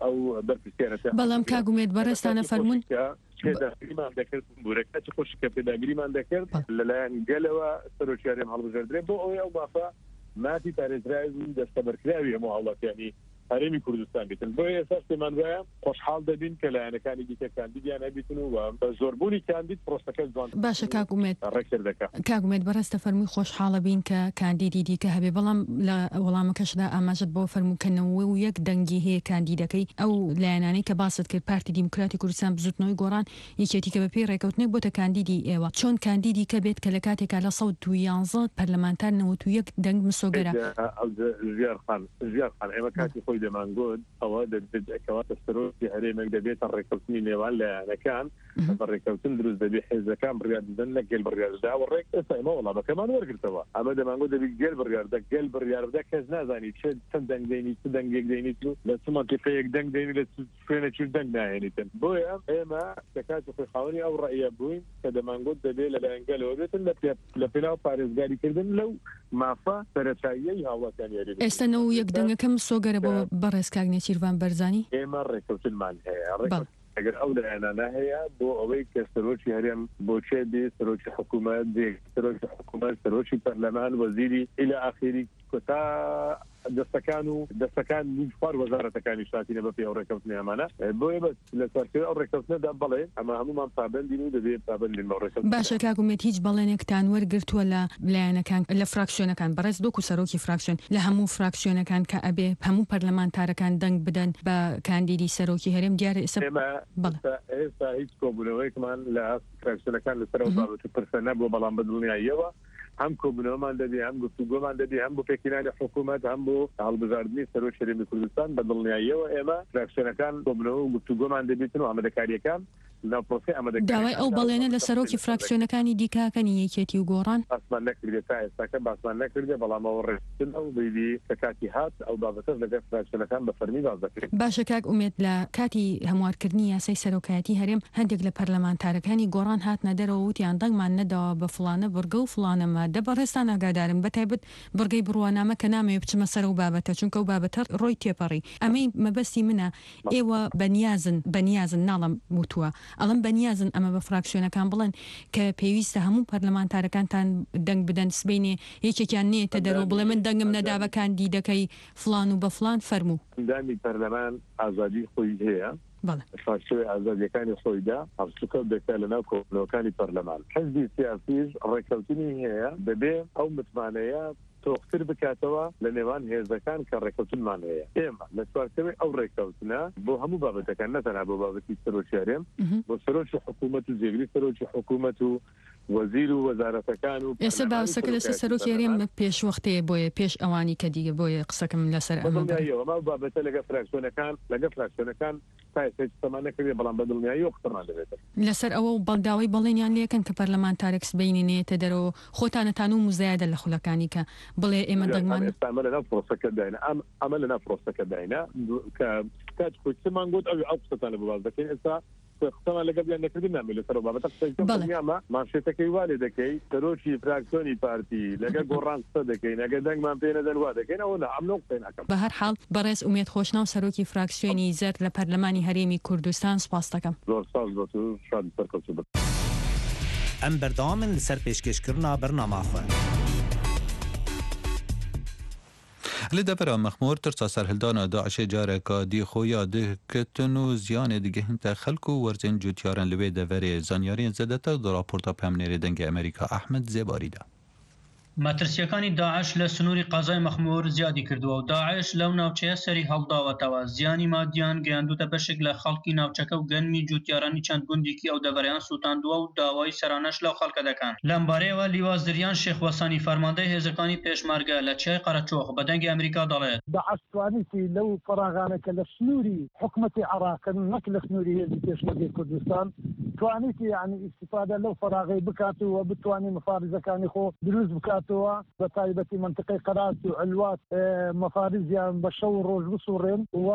ئەو بەرپرسیارەتە. بەڵام کاک ئومێد، بەڕێستانە فەرموون. کە پێداگریمان دەکرد، بورەکە چ خۆشی کە پێداگریمان دەکرد، بەڵێ. لەلایەن گەلەوە سەرۆکی هەرێم هەڵبژێردرێ بۆ ئەوەی ئەو مافە مافی پارێزراوی و دەستەبەرکراوی هەموو هاوڵاتیانی هەرێمی کوردستان بیتن. بۆیە ئێستا پێمان وایە خۆشحاڵ دەبین کە لایەنەکانی دیکە کاندیدیان هەبیتن و بە زۆربوونی کاندید پرۆسەکە جوان باشە، کاک ئومێد. ڕێکتر دەکات. کاک ئومێد، بەڕێستە فەرمووی خۆشحاڵە بین کە کاندیدی دیکە هەبێ، بەڵام لە وەڵامەکەشدا ئاماژەت بۆ فەرموو کە نەوە و یەک دەنگی هەیە کاندیدەکەی ئەو لایەنانەی کە باست کرد، پارتی دیموکراتی کوردستان، بزوتنەوەی گۆڕان، یەکێتی کە بە پێی ڕێکەوتنێک بۆتە کاندیدی ئێوە. چۆن کاندیدی کە بێت کە لە کاتێکا لە سەد و یانزە پەرلەمانتار نەوەت و یەک دەنگ مسۆگەرە؟ ئەو ژیار خان، ژیار خان، ئێمە بەڵێ. کاتی خۆی دەمانگوت، ئەوە دەبێت ئەکەواتە سەرۆکی هەرێمێک دەبێتە ڕێکەوتنی نێوان لایەنەکان، مهم. بە ڕێکەوتن دروست دەبێت، حێزەکان بڕیار دەدەن، نەک گەل بڕیار دەدا و ڕێک. ئێستا ئێمە وەڵامەکەمان وەرگرتەوە. ئەمە دەمانگوت دەبێت گەل بڕیار بدا، گەل بڕیار بدا، کەس نازانی چ، چەند دەنگ دەینیت، چ دەنگێک دەینیت و لە چ مەنتیقەیەک دەنگ دەینی، لە چ شوێنێکیش دەنگ ناهێنیتن. بۆیە ئێمە کە کاتی خۆی خاوەنی ئەو ڕەئیە بووین کە دەمانگوت دەبێت لەلایەن گەلەوە بێتن لە پێ-، لە پێناو پارێزگاریکردن لەو مافە سەرەتاییەی هاوڵاتیانی هەرێمی ئێستا نەوە و یەک دەنگەکە مسۆگەرە بۆ بەڕێز کاک نێچیروان بەرزانی؟ ئێمە ڕێکەوتنمان هەیە. ڕێکەوت-، بەڵێ. ئەگەر ئەو لایەنانە هەیە بۆ ئەوەی کە سەرۆکی هەرێم بۆچێ بێ، سەرۆکی حکوومەت بێ، سەرۆکی حکوومەت، سەرۆکی پەرلەمان، وەزیری ئیلە ئاخیری کۆتا دەستەکان و دەستەکان و خوار وەزارەتەکانی شاتینە بە پێی ئەو ڕێکەوتنی ئەمانە. بۆیە بەس لە چوارچێوەی ئەو ڕێکەوتنەدا بەڵێ، ئەمە هەمومان پابەندین و دەبێت پابەندین بە ڕێکەوتن. باشە کاک ئومێد، هیچ بەڵێنێکتان وەرگرتووە لە لایەنەکان، لە فراکسیۆنەکان، بەڕێز دۆک و سەرۆکی فراکسیۆن، لە هەموو فراکسیۆنەکان کە ئەبێ هەموو پەرلەمانتارەکان دەنگ بدەن بە کاندیدی سەرۆکی هەرێم؟ دیارە ئێستا ئێمە بەڵێ. ئێستا، ئێستا هیچ کۆبوونەوەیەکمان لە فراکسیۆنەکان لەسەر ئەو مهم. بابەت و پرسە نەبووە، بەڵام بە دڵنیاییەوە هەم کۆبوونەوەمان دەبێ، هەم گفتوگۆمان دەبێ، هەم بۆ پێکهێنانی حکوومەت، هەم بۆ هەڵبژاردنی سەرۆک هەرێمی کوردستان. بە دڵنیاییەوە ئێمە فراکسیۆنەکان کۆبوونەوە و گفتوگۆمان دەبێتن و ئامادەکاریەکان لە پرۆسەی ئامادەکاری داوای ئەو بەڵێنە لە سەرۆکی فراکسیۆنەکانی دیکە ئەکەن، یەکێتی و گۆڕان؟ باسمان نەکردێت، تا ئێستاکە باسمان نەکردێت، بەڵام ئەوە ڕێککەوتن ئەو بەیدی کە کاتی هات ئەو بابەتەش لەگەڵ فراکسیۆنەکان بە فەرمی باس دەکرێت. باشە کاک ئومێد، لە کاتی هەموارکردنی یاسای سەرۆکایەتی هەرێم، هەندێک لە پەرلەمانتارەکانی گۆڕان هاتنە دەرەوە، وتیان دەنگمان نەداوە بە فلانە بڕگە و فلانە مادە. بەڕێستان ئاگادارم، بە تایبەت بڕگەی بڕوانامە کە نامەوێ بچمە سەر ئەو بابەتە، چونکە ئەو بابەتە ڕۆی تێپەڕی. ئەمەی مەبەستی منە، ئێوە بەنیازن، بەنیازن ناڵم وتووە، ئەڵم بەنیازن ئەمە بە فراکسیۆنەکان بڵێن کە پێویستە هەموو پەرلەمانتارەکانتان دەنگ بدەن، سبەینێ یەکێکیان نێتە دەرەوە بڵێ من دەنگم نەدا بە کاندیدەکەی فلان و بە فلان. فەرموو. ئەندامی پەرلەمان ئازادی خۆی هەیە. بەڵێ. شاشەوەی ئازادیەکانی خۆیدا هەڵسوکەوت دەکات لە ناو کۆبوونەوەکانی پەرلەمان. حزبی سیاسیش ڕێککەوتنی هەیە، دەبێ ئەو متمانەیە تۆختر بکاتەوە لە نێوان هێزەکان کە ڕێککەوتنمان هەیە. ئێمە لە چوارچێوەی ئەو ڕێککەوتنە بۆ هەموو بابەتەکان، نەتەنها بۆ بابەتی سەرۆکی هەرێم، مهم. بۆ سەرۆکی حکوومەت و جێگری سەرۆکی حکوومەت و وەزیر و وەزارەتەکان و ئێستا پەرلەمان و باوسەکە لەسەر سەرۆکی سەرۆکی هەرێم هەرێم. پێش وەختەیە، بۆیە پێش ئەوانی کە دیگە، بۆیە قسەکەم لەسەر ئەمە بەدڵنیاییەوە. ئەمە بابەتە لەگە فراکسیۆنەکان، لەگە فراکسیۆنەکان تا ئێستا هیچ قسەمان نەکردێ، بەڵام بە دڵنیاییەوە قسەمان دەبێتن. لەسەر ئەوە بەڵداوی بەڵێنیان لێکەن کە پەرلەمانتارێک سبەینێ نێتە دەرەوە، خۆتانەتان و مزایەدە لە خولەکانی کە بڵێ ئێمە دەنگمان ئێستا ئەمە لەناو پرۆسەکە داینە، ئەم، ئەمە لەناو پرۆسەکە داینە، کە کات خۆی قسەمان گوت، ئەو، ئەو قسەتانە بۆ باس دەکەین. ئێستا قسەمان لەگەڵ یان نەکردن نامێ لەسەر ئەو بابەتە قسە بکەم. بەڵێ. دڵنیامە مانشێتەکەی وا لێ دەکەی، سەرۆکی فراکسیۆنی پارتی لەگە گۆڕان قسە دەکەین، ئەگە دەنگمان پێ نەدەن وا دەکەین، ئەوە نا، ئەم نەو قسەی ناکەم. بە هەر حاڵ، بەڕێز ئومێد خۆشناو، سەرۆکی فراکسیۆنی زەرد لە پەرلەمانی هەرێمی کوردستان، سپاس دەکەم. زۆر سپاس بۆ تو، شاد سەرکەوتوو بن. ئەم بەردەوامن لەسەر پێشکێشکردنا بەرنامە خۆ. Li devera Mexmûr tirsa serhildana DAIŞê careka dî xwe ya dikitin û ziyanê digihînte xelk û werzên cotyaran li wê deverê. Zanyariyên zêdetir di raporta peyamnêrê Dengê Amerîka Ehmed Zêbarî de. مەترسیەکانی داعش لە سنووری قەزای مەخموور زیادی کردووە و داعش لەو ناوچەیە سەری هەڵداوەتەوە. زیانی مادیان گەیاندوتە بەشێک لە خەڵکی ناوچەکە و گەنمی جوتیارانی چەند گوندێکی ئەو دەڤەرەیان سووتاندووە و داوای سەرانەش لەو خەڵکە دەکەن. لەم بارەیەوە لیوا زریان شێخ وەسانی، فەرماندەی هێزەکانی پێشمەرگە لە چیای قەرەچۆخ، بە دەنگی ئەمریکا دەڵێت. داعش توانیتی لەو فەراغانە کە لە سنووری حکومەتی عێراقن، نەک لە سنووری هێزی پێشمەرگەی کوردستان، توانیتی، یعنی، ئیستیفادە لەو فەراغەی بکات و بتوانین مفارزەکانی خۆ دروست بکاتەوە، بە تایبەتی منتقەی قەرات و عەلوات، ئێ، مفارزیان بە شەو و ڕۆژ بسوڕێن و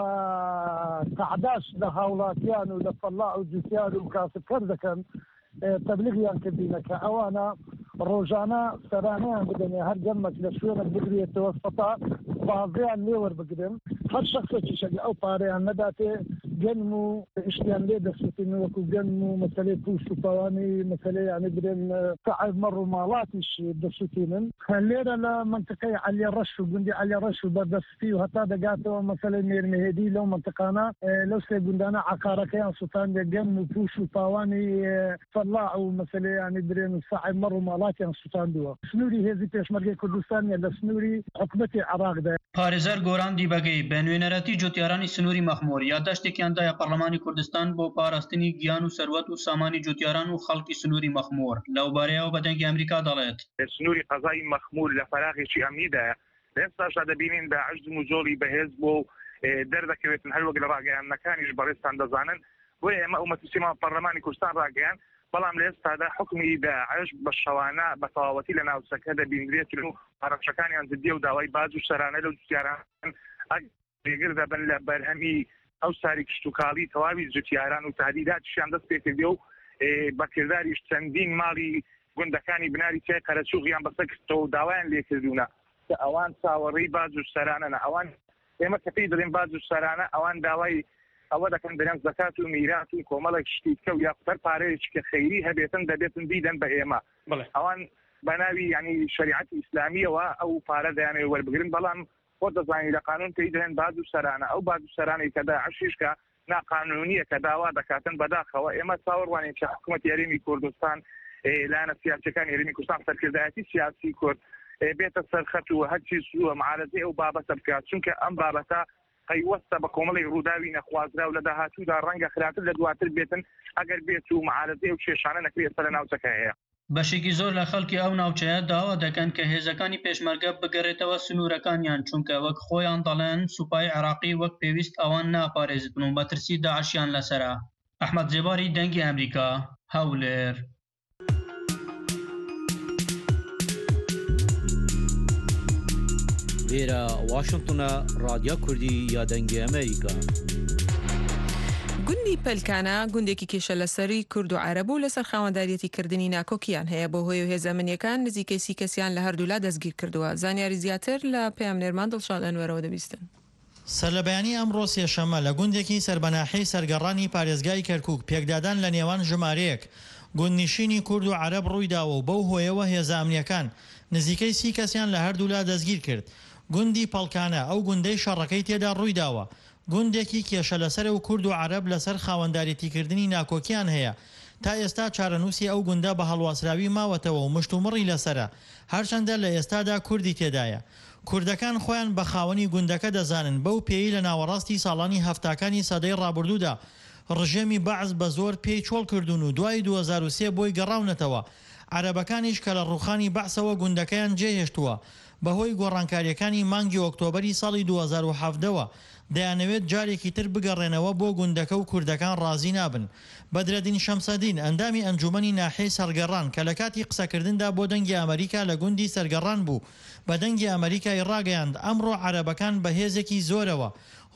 تەعداش لە هاوڵاتیان و لە فەڵاع و جوتیار و کاسبکەر دەکەن. ئێ، تەبلیغیان کردینە کە ئەوانە ڕۆژانە سەرانەیان بدەنێ، هەر گەنمەک لە شوێنە بگرێتەوە، سەتا بازیان لێ وەربگرن. هەر شخصێکیشە لە ئەو پارەیان نەداتێ، گەنم و شتیان لێ دەسووتین، وەکو گەنم و مەسەلەی پوش و پاوانی، مەسەلەی، یعنی، برێن، سەعی مەڕ و ماڵاتیش دەسووتینن. لێرە لە منتقەی عەلی ڕەش و گوندی عەلی ڕەش و بەردەستی و هەتا دەگاتەوە مەسەلەی مێرمەهێدی، لەو منتقانە، ئێ، لەو سێ گوندانە عقارەکەیان سووتاندە، گەنم و پوش و پاوانی، ئێ، فەلاع و مەسەلەی، یعنی، برێن و سەعی مەڕ و ماڵاتیان سووتاندووە. سنووری هێزی پێشمەرگەی کوردستانیە لە سنووری حکومەتی عێراقدا. پارێزەر گۆران دیبەگەی بە نوێنەرەتی جوتیارانی سنووری مەخمۆر یادداشتێکیان دایە پەرلەمانی کوردستان بۆ پاراستنی گیان و سەروەت و سامانی جوتیاران و خەڵکی سنووری مەخمۆر. لەو بارەیەوە بە دەنگی ئەمریکا دەڵێت. سنووری قەزای مەخموور لە فەراغێکی ئەمنیدایە. لە ئێستاشدا دەبینین داعش دم و جۆڵی بەهێز بۆ، ئێ، دەردەکەوێتن، هەر وەک لە ڕاگەیاندنەکانیش بەڕێزتان دەزانن. بۆیە ئێمە ئەو مەترسیمان پەرلەمانی کوردستان ڕاگەیاند، بەڵام لە ئێستادا حکمی داعش بە شەوانە بە تەواوەتی لە ناوچەکە دەبینرێت و هەڕەشەکانیان جددیە و داوای باج و سەرانە لەو جوتیاران ئەگ-، جێگر دەبن لە بەرهەمی ئەو ساری کشتوکاڵی تەواوی جوتیاران و تهدیداتیشیان دەست پێ کردێ و، ئێ، بە کرداریش چەندین ماڵی گوندەکانی بناری چیای قەرەچوغیان بەسەر کردەوە و داوایان لێ کردوونە کە ئەوان چاوەڕێی باج و سەرانەنە. ئەوان، ئێمە کە پێی دەڵێن باج و سەرانە، ئەوان داوای ئەوە دەکەن دەرێن زەکات و میرات و کۆمەڵێک شتی کە و یاخود هەر پارەیەکی کە خەیری هەبێتن دەبێتن بیدەن بە ئێمە. بەڵێ. ئەوان بە ناوی، یعنی، شەریعەتی ئیسلامیەوە ئەو پارە دەیانەوێ وەربگرن، بەڵام خۆ دەزانی لە قانون پێی دەڵێن باج و سەرانە. ئەو باج و سەرانەی کە داعشیش کە ناقانونیە کە داوا دەکاتن، بەداخەوە ئێمە چاوەڕوانین کە حکوومەتی هەرێمی کوردستان، ئێ، لایەنە سیاسیەکانی هەرێمی کوردستان، سەرکردایەتی سیاسی کورد، ئێ، بێتە سەرخەت و هەرچی زووە معارەزەی ئەو بابەتە بکات، چونکە ئەم بابەتە پەیوەستە بە کۆمەڵی ڕووداوی نەخوازرا و لە داهاتوودا ڕەنگە خراتر لە دواتر بێتن، ئەگەر بێت و معارەزەی ئەو کێشانە نەکرێت ئێستا لە ناوچەکە هەیە. بەشێکی زۆر لە خەڵکی ئەو ناوچەیە داوا دەکەن کە هێزەکانی پێشمەرگە بگەڕێتەوە سنوورەکانیان، چونکە وەک خۆیان دەڵێن، سوپای عێراقی وەک پێویست ئەوان ناپارێزبن و مەترسی داعشیان لەسەرە. ئەحمەد زێباری، دەنگی ئەمریکا، هەولێر. Vêre Washington e, Radya Kurdî ya Dengê Amerîka. گوندی پەلکانە گوندێکی کێشە لەسەری کورد و عەرەب و لەسەر خاوەنداریەتی کردنی ناکۆکیان هەیە، بۆ هۆی و هێزە منیەکان نزیکەی سی کەسیان لە هەردوولا دەستگیر کردووە. زانیاری زیاتر لە پەیامنێرمان دڵشاد ئەنوەرەوە دەبیستن. سەرلەبەیانیی ئەمڕۆ سێشەممە لە گوندێکی سەر بە ناحیەی سەرگەڕانی پارێزگای کەرکووک پێکدادان لە نێوان ژمارەیەک گوندنیشینی کورد و عەرەب ڕووی داوە و بەو هۆیەوە هێزە ئەمنیەکان نزیکەی سی کەسیان لە هەردوولا دەستگیر کرد. گوندی پەڵکانە ئەو گوندەی شەڕەکەی تێدا ڕووی داوە، گوندێکی کێشە لەسەرە و کورد و عەرەب لەسەر خاوەندارێتیکردنی ناکۆکیان هەیە. تا ئێستا چارەنووسی ئەو گوندە بە هەڵواسراوی ماوەتەوە و مشتومڕی لەسەرە، هەرچەندە لە ئێستادا کوردی تێدایە. کوردەکان خۆیان بە خاوەنی گوندەکە دەزانن، بەو پێی لە ناوەڕاستی ساڵانی هەفتاکانی سەدەی ڕابردوودا ڕژێمی بەعس بە زۆر پێی چۆڵ کردوون و دوای دوو هەزار و سێ بۆی گەڕاونەتەوە. عەرەبەکانیش کە لە ڕووخانی بەعسەوە گوندەکەیان جێهێشتووە، بەهۆی گۆڕانکاریەکانی مانگی ئۆکتۆبەری ساڵی دوو هەزار و حەڤدەوە دەیانەوێت جارێکی تر بگەڕێنەوە بۆ گوندەکە و کوردەکان ڕازی نابن. بەدرەدین شەمسەدین، ئەندامی ئەنجومەنی ناحیەی سەرگەڕان، کە لە کاتی قسەکردندا بۆ دەنگی ئەمریکا لە گوندی سەرگەڕان بوو، بە دەنگی ئەمریکای ڕاگەیاند، ئەمڕۆ عەرەبەکان بە هێزێکی زۆرەوە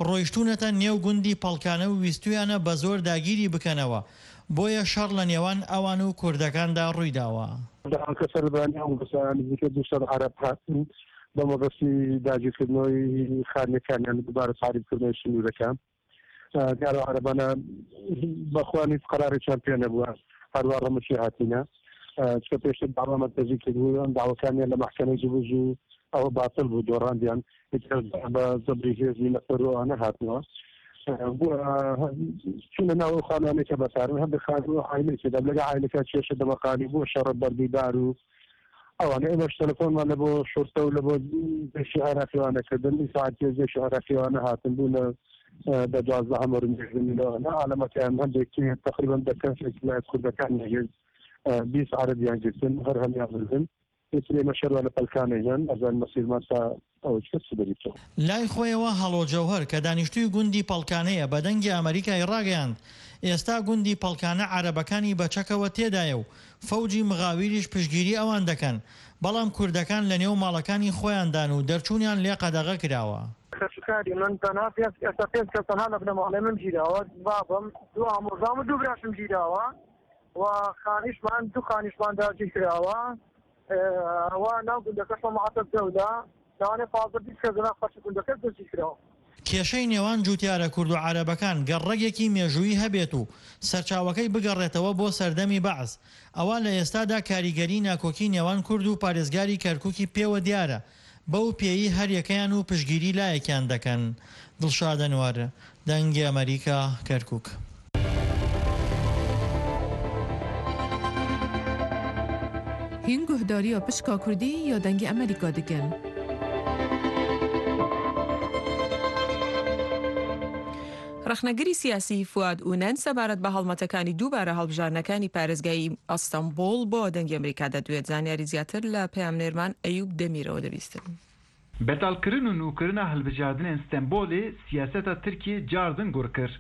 ڕۆیشتوونەتە نێو گوندی پەڵکانە و ویستویانە بە زۆر داگیری بکەنەوە، بۆیە شەڕ لە نێوان ئەوان و کوردەکاندا ڕوویداوە. دەهان کەسە لەبەیانی ئەو بەسە نزیکە دوو سەد عەرەب هاتن بە مەبەستی داگیرکردنەوەی خانەکانیان دووبارە تعریبکردنەوەی سنوورەکان. ئە، دیارە عەرەبانە بەخوانی قەراریان پێ نەبووە، هەروە ڕەمەکی هاتینە. ئە، چکە پێشتر داوا مەرکەزی کردبوو، ئەم داواکانیان لە مەحکەمەی جوبوز و ئەوە باتل بوو، دۆڕاندیان. ئیتر بە زەبری هێزی نەفەر و ئەوانە هاتنەوە. ئە، بووە، چوونە ناو ئەو خانوانەی کە بەکارن، هەندێک خانوو عایلەی تێدا، لەگە عایلەکە کێشە دەمەقالی بووە، شەڕە بەردیدار و ئەوانە. ئێمەش تەلەفۆنمان لە بۆ شۆرتە و لە بۆ جێشی عێراقیوانە کردن. ئیساعەت جێشی عێراقیوانە هاتن بوو لە، ئە، بە دوازدە هەمەر و مێژنی لەوانە. عالەمەکەیان هەندێک تقریباً دە کەسێک لە کوردەکان نەگرت، ئە، بیست عەرەبیان گرتن، هەر هەمیان بردن. ئیتر ئێمە شەروا لە پەلکانە هێن، ئەزان مەسیرمان تا ئەوە چ کەس دەبیتەوە. لای خۆیەوە هەڵۆ جەوهەر کە دانیشتووی گوندی پەڵکانەیە بە دەنگی ئەمریکای ڕاگەیاند، ئێستا گوندی پەڵکانە عەرەبەکانی بە چەکەوە تێدایە و فەوجی مغاویریش پشتگیری ئەوان دەکەن، بەڵام کوردەکان لە نێو ماڵەکانی خۆیاندان و دەرچوونیان لێ قەدەغە کراوە. خەشکاری من تەنها پێنج، ئێستا پێنج کەس تەنها لە بنەماڵەی من گیراوە، بابم، دوو ئامۆزام و دوو براشم گیراوە و خانیشمان، دوو خانیشمان داگیر کراوە. ئەوە ناو گوندەکەشەوە مەعەتەب دەودا، لەوانەیە پازدە بیست کەس لەناو خەڵکی گوندەکە دەستگیر کراوە. کێشەی نێوان جووتیارە کورد و عەرەبەکان گەڕەگێکی مێژوویی هەبێت و سەرچاوەکەی بگەڕێتەوە بۆ سەردەمی بەعس، ئەوە لە ئێستادا کاریگەری ناکۆکی نێوان کورد و پارێزگاری کەرکووکی پێوە دیارە، بەو پێیی هەریەکەیان و پشتگیری لایەکیان دەکەن. دڵشاد ئەنوەر، دەنگی ئەمریکا، کەرکووک. هین گوهدارییا پشکا کوردی یا دەنگی ئەمریکا دکن. ڕەخنەگری سیاسی فواد ئونەن سەبارەت بە هەڵمەتەکانی دووبارە هەڵبژاردنەکانی پارێزگای ئەستەنبوڵ بۆ دەنگی ئەمریکا دەدوێت. زانیاری زیاتر لە پەیامنێرمان ئەیوب دەمیرەوە دەبیستن. Betalkirin û nûkirina hilbijartinên Stenbolê siyaseta Tirkiyê cardin gur kir.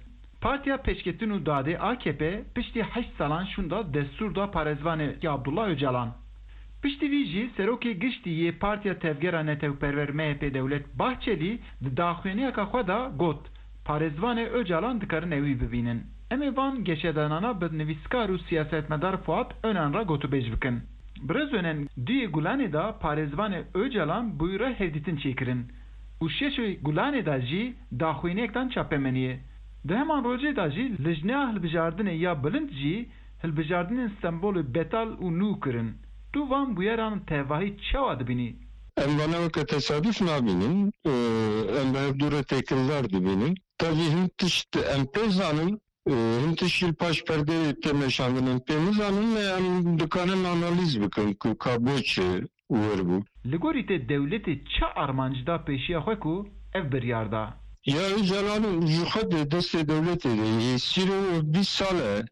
Partiya Pêşketin û Dadê A K P piştî heşt salan şûnda destûr da parêzvanê Abdullah Ocalan. Piştî vî jî Serokê Giştî yê Partiya Tevgera Netewperwer M H P Dewlet Bahçelî di daxuyaniyeka xwe de got, parêzvanê Ocalan dikarin ewî bibînin. Em ê van geşedanana bi nivîskar û siyasetmedar Fuat Onan re gotûbêj bikin. Birêz Onan duyê Gulanê de parêzvanê Ocalan bûyî re hevdîtin çêkirin û şeşê Gulanê de jî daxuyaniyek dan çapemeniyê. Di heman rojê de jî Lijneya Hilbijartinê ya Bilind jî hilbijartinên Stenbolê betal û nû kirin. Tu van bûyeran tevahî çawa dibînî? Em vana weke tesaduf nabînin. Em bi hevdû re têkildar dibînin. Tevî hin tişt em pê zanin, hin tişt jî li paş perdeyê tê meşandin em pê nizanin, lê em dikarin analîz bikin ku ka bo çi wir bû. Li gorî te dewletê çi armanc da pêşiya xwe ku ev biryar da? Ya Ocalan ji xwe di destê dewletê de yê sîr û bîst sal e.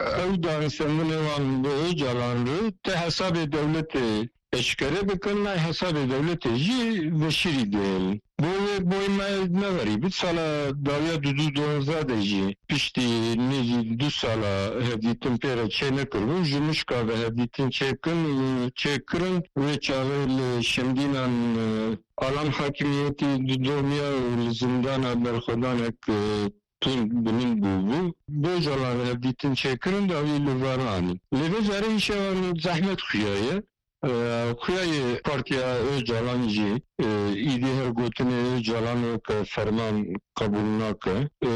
ew danistendinê wan bi Ocalan re tê hesabê dewletê eşkere bikin, nayê hesabê dewletê jî veşîrî dihêlin. Bo wê boy me neverî bit, sala dawiya du du donzdeh de jî piştî nêzî du sala hevdîtin pê re çênekiribû, ji Mişka ve hevdîtin çêkin, çêkirin, wê çaxê li Şemdînan, e, alan hakimiyetî didomiya û li zindana berxwedanek, e, tund bilind bûbû. Bi Ocalan hevdîtin çêkirin, dawî li vir anî. Lê vê carê îşevan zehmet xuya ye. E, xuya yê Partiya Ocalan jî, e, îdî her gotinê Ocalan weke ferman qebûl nake. E,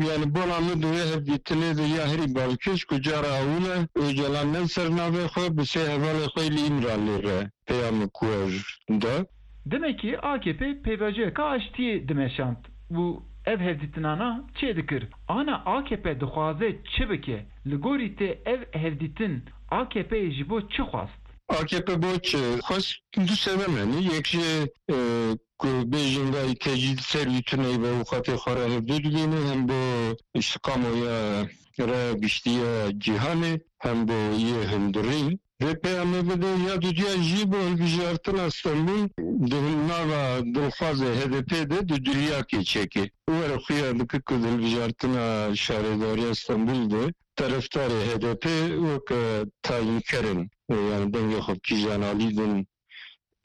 yani bona min di wê hevdîtinê de ya herî balkêş ku cara ewil e Ocalan ne li ser navê xwe bi sê hevalê xwe li Îmralî re peyamê kuer da. Demekî A K P pêvajoyeka aştiyê dimeşand û ev hevdîtinana çêdikir. Ana A K P dixwaze çi bike? Li gorî te ev hevdîtin A K P'yê ji bo çi xwest? A K P bo çi xwest? Du sebeb hene. Yek jê, e, ku bêjin vay tecîd ser wî tuneyî ve û xatê xwe re hevdû dibîne, hem bo îstîqamoya raya giştî ya cîhanê, hem bo yê hundirîn. Vê peyamê bide ya dudiya jî bo hilbijartina Stenbûl di nava dilxwazê H D P de di duriyakê çêke. Were xuya dike ku di hilbijartina şaredariya Stenbûl de terefdarê H D P weke tayînker in. Yani dengê xwe bi kîjan alî din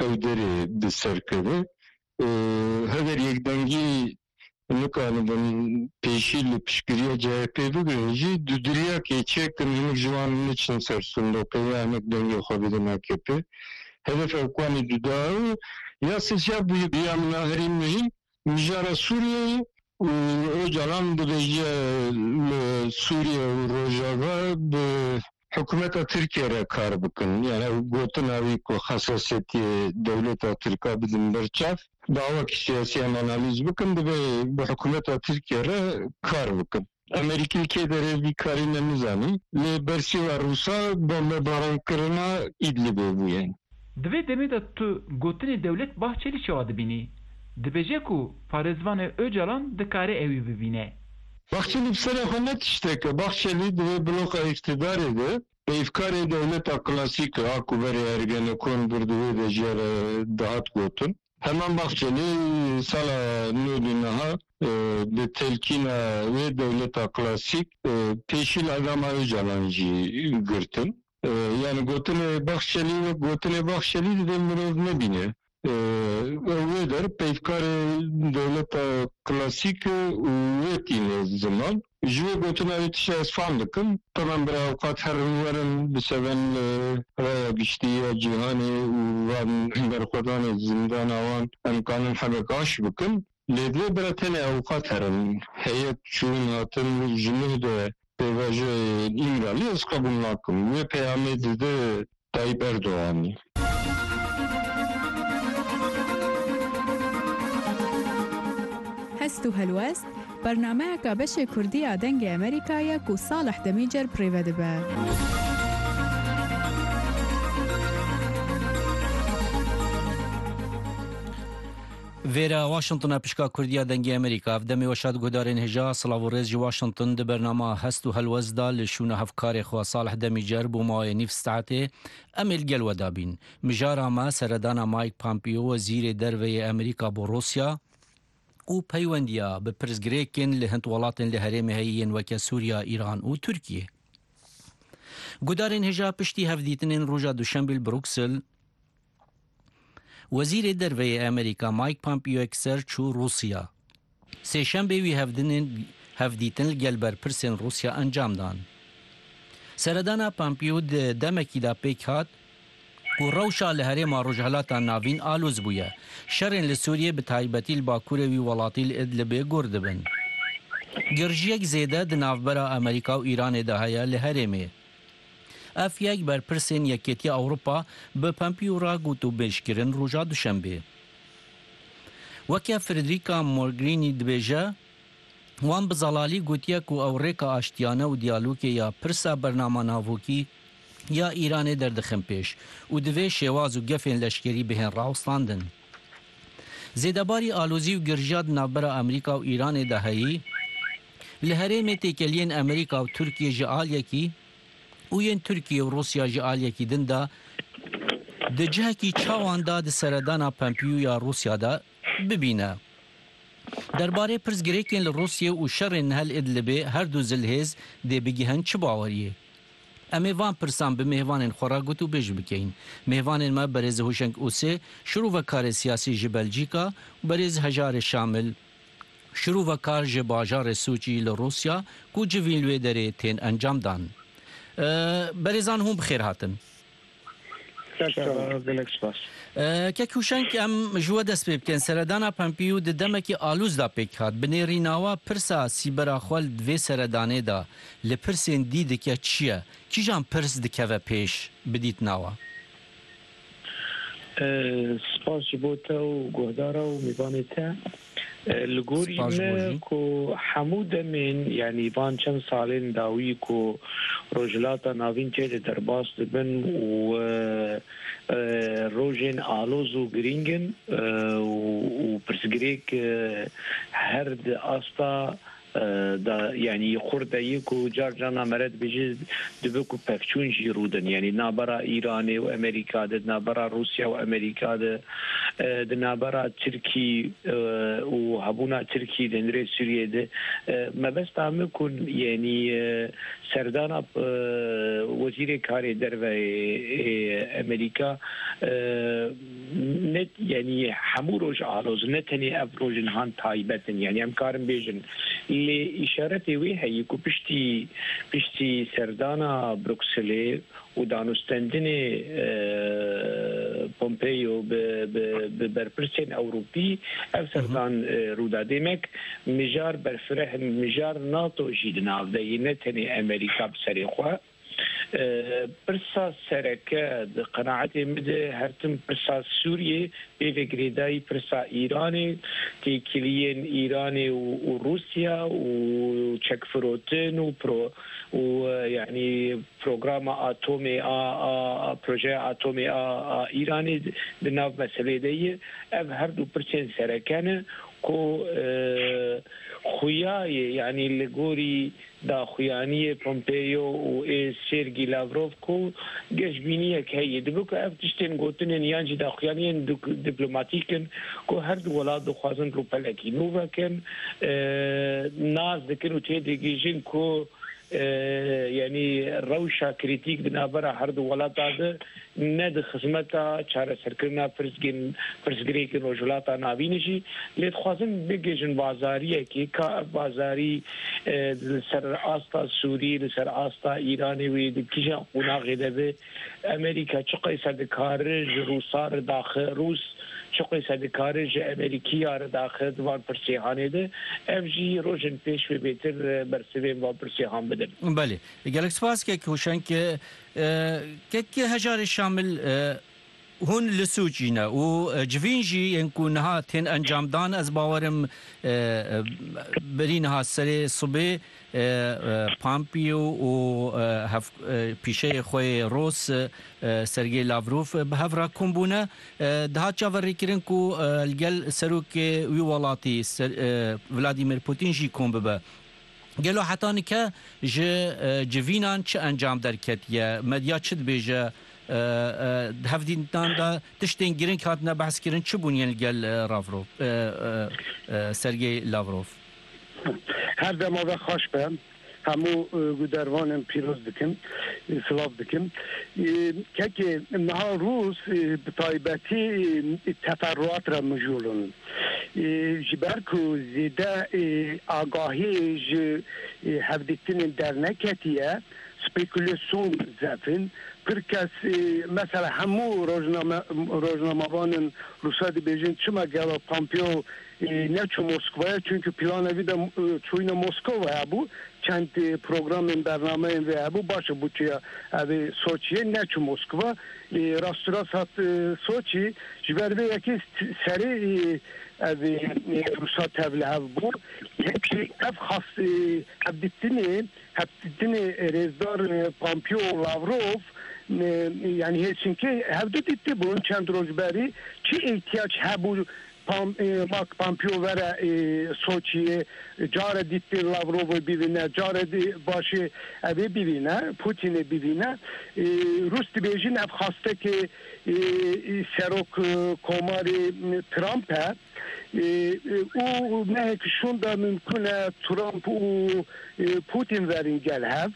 ew derê bi ser keve. Heger yekdengî nikaribin pêşî li piştgiriya C H P bigirin jî, di duriyakê çêkin hinek ji wan neçin ser sindoqê ya hinek dengê xwe bidin A K P. Hedef ew ku anî duda ew ya sêsya bûye ya min a herî muhîm mijara Sûriyeyê û Ocalan dibêje li Sûriye û Rojava bi hikûmeta Tirkiye re kar bikin. Yani ew gotina wî ku hesasiyetiyê dewleta Tirk a bidin ber çav, bi awakî siyasî em analîz bikin, divê bi hikûmeta Tirkiye re kar bikin. Amerîkî li kê derê vî karî ne nizanî, lê bersîva Rûsa bombebarankirina Îdlibê bûye. Di vê demê de tu gotinê Dewlet Bahçelî çawa dibînî? Dibêje ku parêzvanê Ocalan dikare ewî bibîne. Bahçelî bi serê xwe ne tiştek e. Bahçelî di vê bloka îqtidarê de peyvkarê dewleta klasîk e, a ku berê Ergenekon bir di wê de jê re dihat gotin. Heman Bahçelî sala nod û neha, e, bi telkîna wê dewleta klasîk, e, pêşî li edama Ocalan jî girtin. E, yani gotinê Bahçelî wek gotinê Bahçelî divê mirov nebîne. E, ew wê der peyvkarê dewleta klasîk e û wê tîne ziman. Ji wê gotina wê tişta ez fam dikim. Temam bira ewqat herin werin biseven li raya giştî ya cîhanê û van berxwedanê zindana wan em kanin hebek aş bikin. Lê divê bira tenê ewqat herin. Heyet çûn hatin ji nuh de pêvajoyê Îmralî ez qebûl nakim. Wê peyamê dide Tayyip Erdoganî. Hest û Helwest, bernameyeka beşê Kurdî ya Dengê Amerîka ye ku Salih Demîcer bi rê ve dibe. Vêre Washington e, pişka Kurdiya Dengê Amerîka. Ev demê we şad guhdarên hêja, silav û rêz ji Washington. Di bernama Hest û Helwest de li şûna hevkarê xwe Salih Demîcer bo mawê nîv saetê em ê li gel we de bîn. Mijara me seredana Mike Pompeo, wezîrê derve yê Amerîka bo Rûsya û peywendiya bi pirsgirêkên li hin welatên li herêmê heyî yên weke Sûriya, Îran û Tirkiye. Guhdarên hêja, piştî hevdîtinên roja Duşembê li Bruksel, Wezîrê Derve yê Amerîka Mike Pompeo yekser çû Rûsya. Sêşembê wî hevdinên, hevdîtin li gel berpirsên Rûsya encam dan. Seredana Pompeo di demekî de pêk hat ku rewşa li herêma Rojhilata Navîn alûz bûye. Şerên li Sûriyê, bi taybetî li bakurê wî welatî li Idlibê gur dibin. Girjiyek zêde di navbera Amerîka û Îranê de heye li herêmê. Ev yek berpirsên Yekêtiya Ewropa bi Pompeo re gotûbêj kirin roja Duşembê. Weke Federica Mogherini dibêje, wan bi zelalî gotiye ku ew rêka aştiyane û diyalogê ya pirsa bernama navokî ya Îranê derdixin pêş û divê şêwaz û gefên leşkerî bihên rawestandin. Zêdebarî alozî û girjiya di navbera Amerîka û Îranê de heyî, Li herêmê têkeliyên Amerîka û Tirkiyê ji aliyekî û yên Tirkiye û Rûsya ji aliyekî din de di cihekî çawan de di seredana Pompeo ya Rûsya de bibîne. Derbarê pirsgirêkên li Rûsiyê û şerên li hel Idlibê her du zilhêz dê bigihin çi baweriyê? Em ê van pirsan bi mêvanên xwe re gotûbêj bikeyin. Mêvanên me berêz Huşeng Ûsê, şirovekarê siyasî ji Belcîka û berêz Hejarê Şamil, şirovekar ji bajarê Sûçî li Rûsya ku civîn li wê derê tên encamdan. E, berêzan hûn bi xêr hatin. Ser çava, gelek spas. E, Kek Huşeng, em ji we dest pê bikin. Seredana Pompeo di demekî alûz de pêk hat. Bi nêrîna we pirsa sîbera xwe li vê seredanê de li pirsên dî dike çi ye? Kîjan pirs dikeve pêş bi dîtina we? E, spas ji bo te û guhdara û mêvanê te. E, li gorî Spas ji bo me jî. Ku hemû demên, yanî van çend salên dawî ku Rojhilata Navîn tê de derbas dibin û, e, e, rojên aloz û girîng in, e, û, û pirsgirêk, e, her di asta, e, da, yanî xurt de yê ku car carna mere dibêje dibe ku pevçûn jî rûdin. Yanî di navbera Îranê û Amerîka de, di navbera Rûsya û Amerîka de, e, di navbera Tirkî, e, û hebûna Tirkî di hundirê Sûriyê de. E, mebesta min ku, yanî, e, serdana, e, wezîrê karê derve ê, ê Amerîka, e, ne, yanî hemû roj aloz, ne tenê ev roj nihan taybet in. Yanî em karin bêjin. Lê îşaretê wê heye ku piştî, piştî serdana Brukselê û danûstendinê, e, Pompeo bi, bi, bi berpirsên Ewropî ev serdan, e, rû da. Demek mijar berfireh in, mijar NATO jî di nav de ye, ne tenê Amerîka bi serê xwe. E, pirsa sereke di qenaetê min de her tim pirsa Sûriyê pê ve girêdayî pirsa Îranê, têkiliyên Îranê û, û Rûsya û çekfirotin û pro-, û, e, yanî programa atomê a, a, a, projeya atomê a, a Îranê di nav meselê de ye. Ev her du pirsên sereke ne ku, e, xuya ye, yanî li gorî daxuyaniyê Pompeo û ê Sergî Lavrov ku geşbîniyek heye. Dibe ku ev tiştên gotinên yan jî daxuyaniyên duk-, diplomatîk in ku her du welat dixwazin rûpelekî nû vekin, e, nas dikin û têdigihîjin ku, e, yanî rewşa krîtîk di navbera her du welata de ne di xizmeta çareserkirina pirsgên, pirsgirêkên Rojhilata Navînê jî, lê dixwazin bigihîjin bazariyekê, ka ev bazarî, e, li ser asta Sûrî, li ser asta Îranê wê di kîjan qonaxê de be, Amerîka çi qeyse dikare ji Rûsa re daxe, Rûs çi qeyse dikare ji Amerîkiya re daxe di van pirsêhanê de, ev jî rojên pêş wê bêtir, e, bersivên van pirsêhan bidin. Belê. Gelek spas kek Huşenk. E, kek Hejarê Şamil, e, hûn li Sûçî ne û, e, civîn jî yên ku niha tên encamdan, ez bawerim, e, e, berî niha serê sibê, e, e, Pompeo û, e, hev-, e, pîşeyê xwe yê Rûs, e, Sergey Lavrov, e, bi hev re kom bûne. E, dihat çaverêkirin ku, e, li gel serokê wî welatî, Ser-, e, Vladimir Putin jî kom bibe. Gelo heta nike ji, e, civînan çi encam derketiye? Medya çi dibêje? E, e, di hevdîtinan de tiştên girîng hatine behskirin, çi bûn yên li gel, e, Lavrov, e, e, e, Sergey Lavrov? Her dema ve xweş be. Hemû, e, gudervanên pîroz dikim, e, silav dikim. E, kekê niha Rûs, e, bi taybetî, e, teferruat re mijûl in. E, ji ber ku zêde, e, agahî ji, e, hevdîtinên derneketiye, spekulasyon zef in. Pir kes, e, mesela hemû rojname-, rojnamevanên Rûsa dibêjin, çima gelo Pompeo, e, neçû Moskovaya? Çünkü plana wî de, e, çûyîna Moskova hebû. Çend, e, programên bernameyên vê hebû, baş e, bû çiya ev ê Soçiyê, neçû Moskova. E, rasturast hat, e, Soçî, ji ber vê yekê serê, e, ev ê, e, Rûsa tevlihev bû. Yekî ev xas, e, hevdîtinê, hevdîtinê rêzdar, e, Pompeo Lavrov, e, yanî Helsinkê hevdu dîtibûn çend roj berî, çi îhtiyac hebû Pam, e, Mark Pompeo vere, e, Soçiyê, care dîtî Lavrovê bivîne, care dî başê evê bivîne, Putinê bivîne. E, Rûs dibêjin ev xastekê, e, e, serok, e, komarê, e, Trump e. E, e, û mehek şûnda mimkun e Trump û, e, Putin verin gel hev.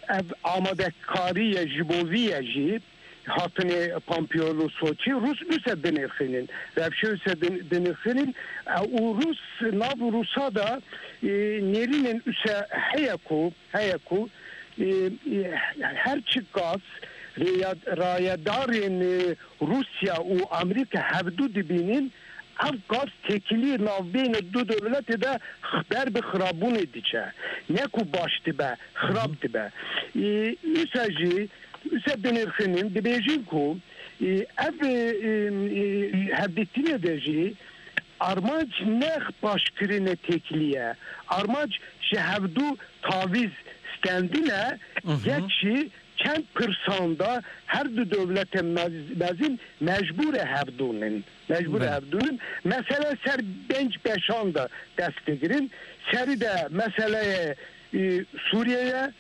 Ev amadekarî ye ji bo vî ye jî. Hatinê Pompeo li Soçî, Rûs use dinirxînin. Rewşê use din-, dinirxînin. E, û Rûs, nav Rûsa da, e, nêrînên use heye ku, heye ku, e, e, her çi gaz rêya-, rayedarên, e, Rûsya û Amerîka hevdu dibînin, ev gaz têkilî navbeyne du dewletê de ber bi xirabûnê diçe. Ne ku baş dibe, xirab dibe. E, use jî Use dinirxînin, dibêjin ku, e, ev, e, e, e, hevdîtinê de jî armanc ne paşkirine têkilî ye. Armanc ji hevdu tavîz stendin e, Hı hı. Yek jî çend pirsan de her du dewlete mez-, mezin mecbûr e hevdûnin. Mecbûr e Belê. Hevdûnin. Mesele ser pênc beşan de dest digirin. Serî de meseleyê, e, Sûriye ye.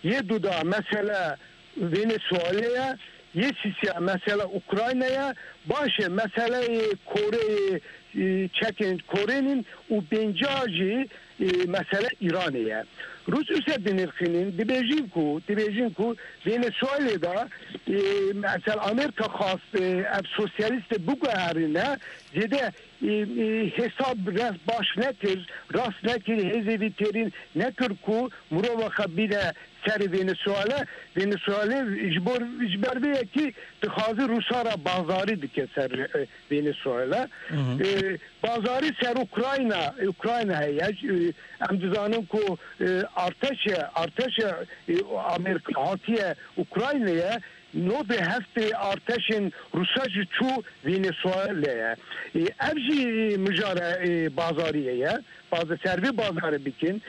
Yê duda mesele Venezuela ye, yê sîsiya mesele Ukrayna ye, baş e meseleyê Koreyê, e, çekên Korênin û pênca jî, e, mesele Îranê ye. Rûs use dinirxînin, dibêjin ku, dibêjin ku Venezuelê de, e, mesela Amerîka xwast, e, ev sosyalîstê biguherîne, zêde e, e, hesab rast baş nekir, rast nekir, hêzê vî têrîn nekir ku mirova xwe bîne serê Venezuela. Venezuela ji bo, ji ber vê yekî dixwaze Rûsa re bazarî dike ser, e, Venezuela. Hı hı. E, bazarî ser Ukrayna, Ukrayna heye. E, em dizanin ku, e, arteşe, arteşe, e, Amerîka hatiye Ukraynayê. Nodê heftê artêşên Rûsa jî çû Venezuelê ye. Ê, ev jî mijara, ê, bazariyê ye. Baza-, ser vê bazarê bikin.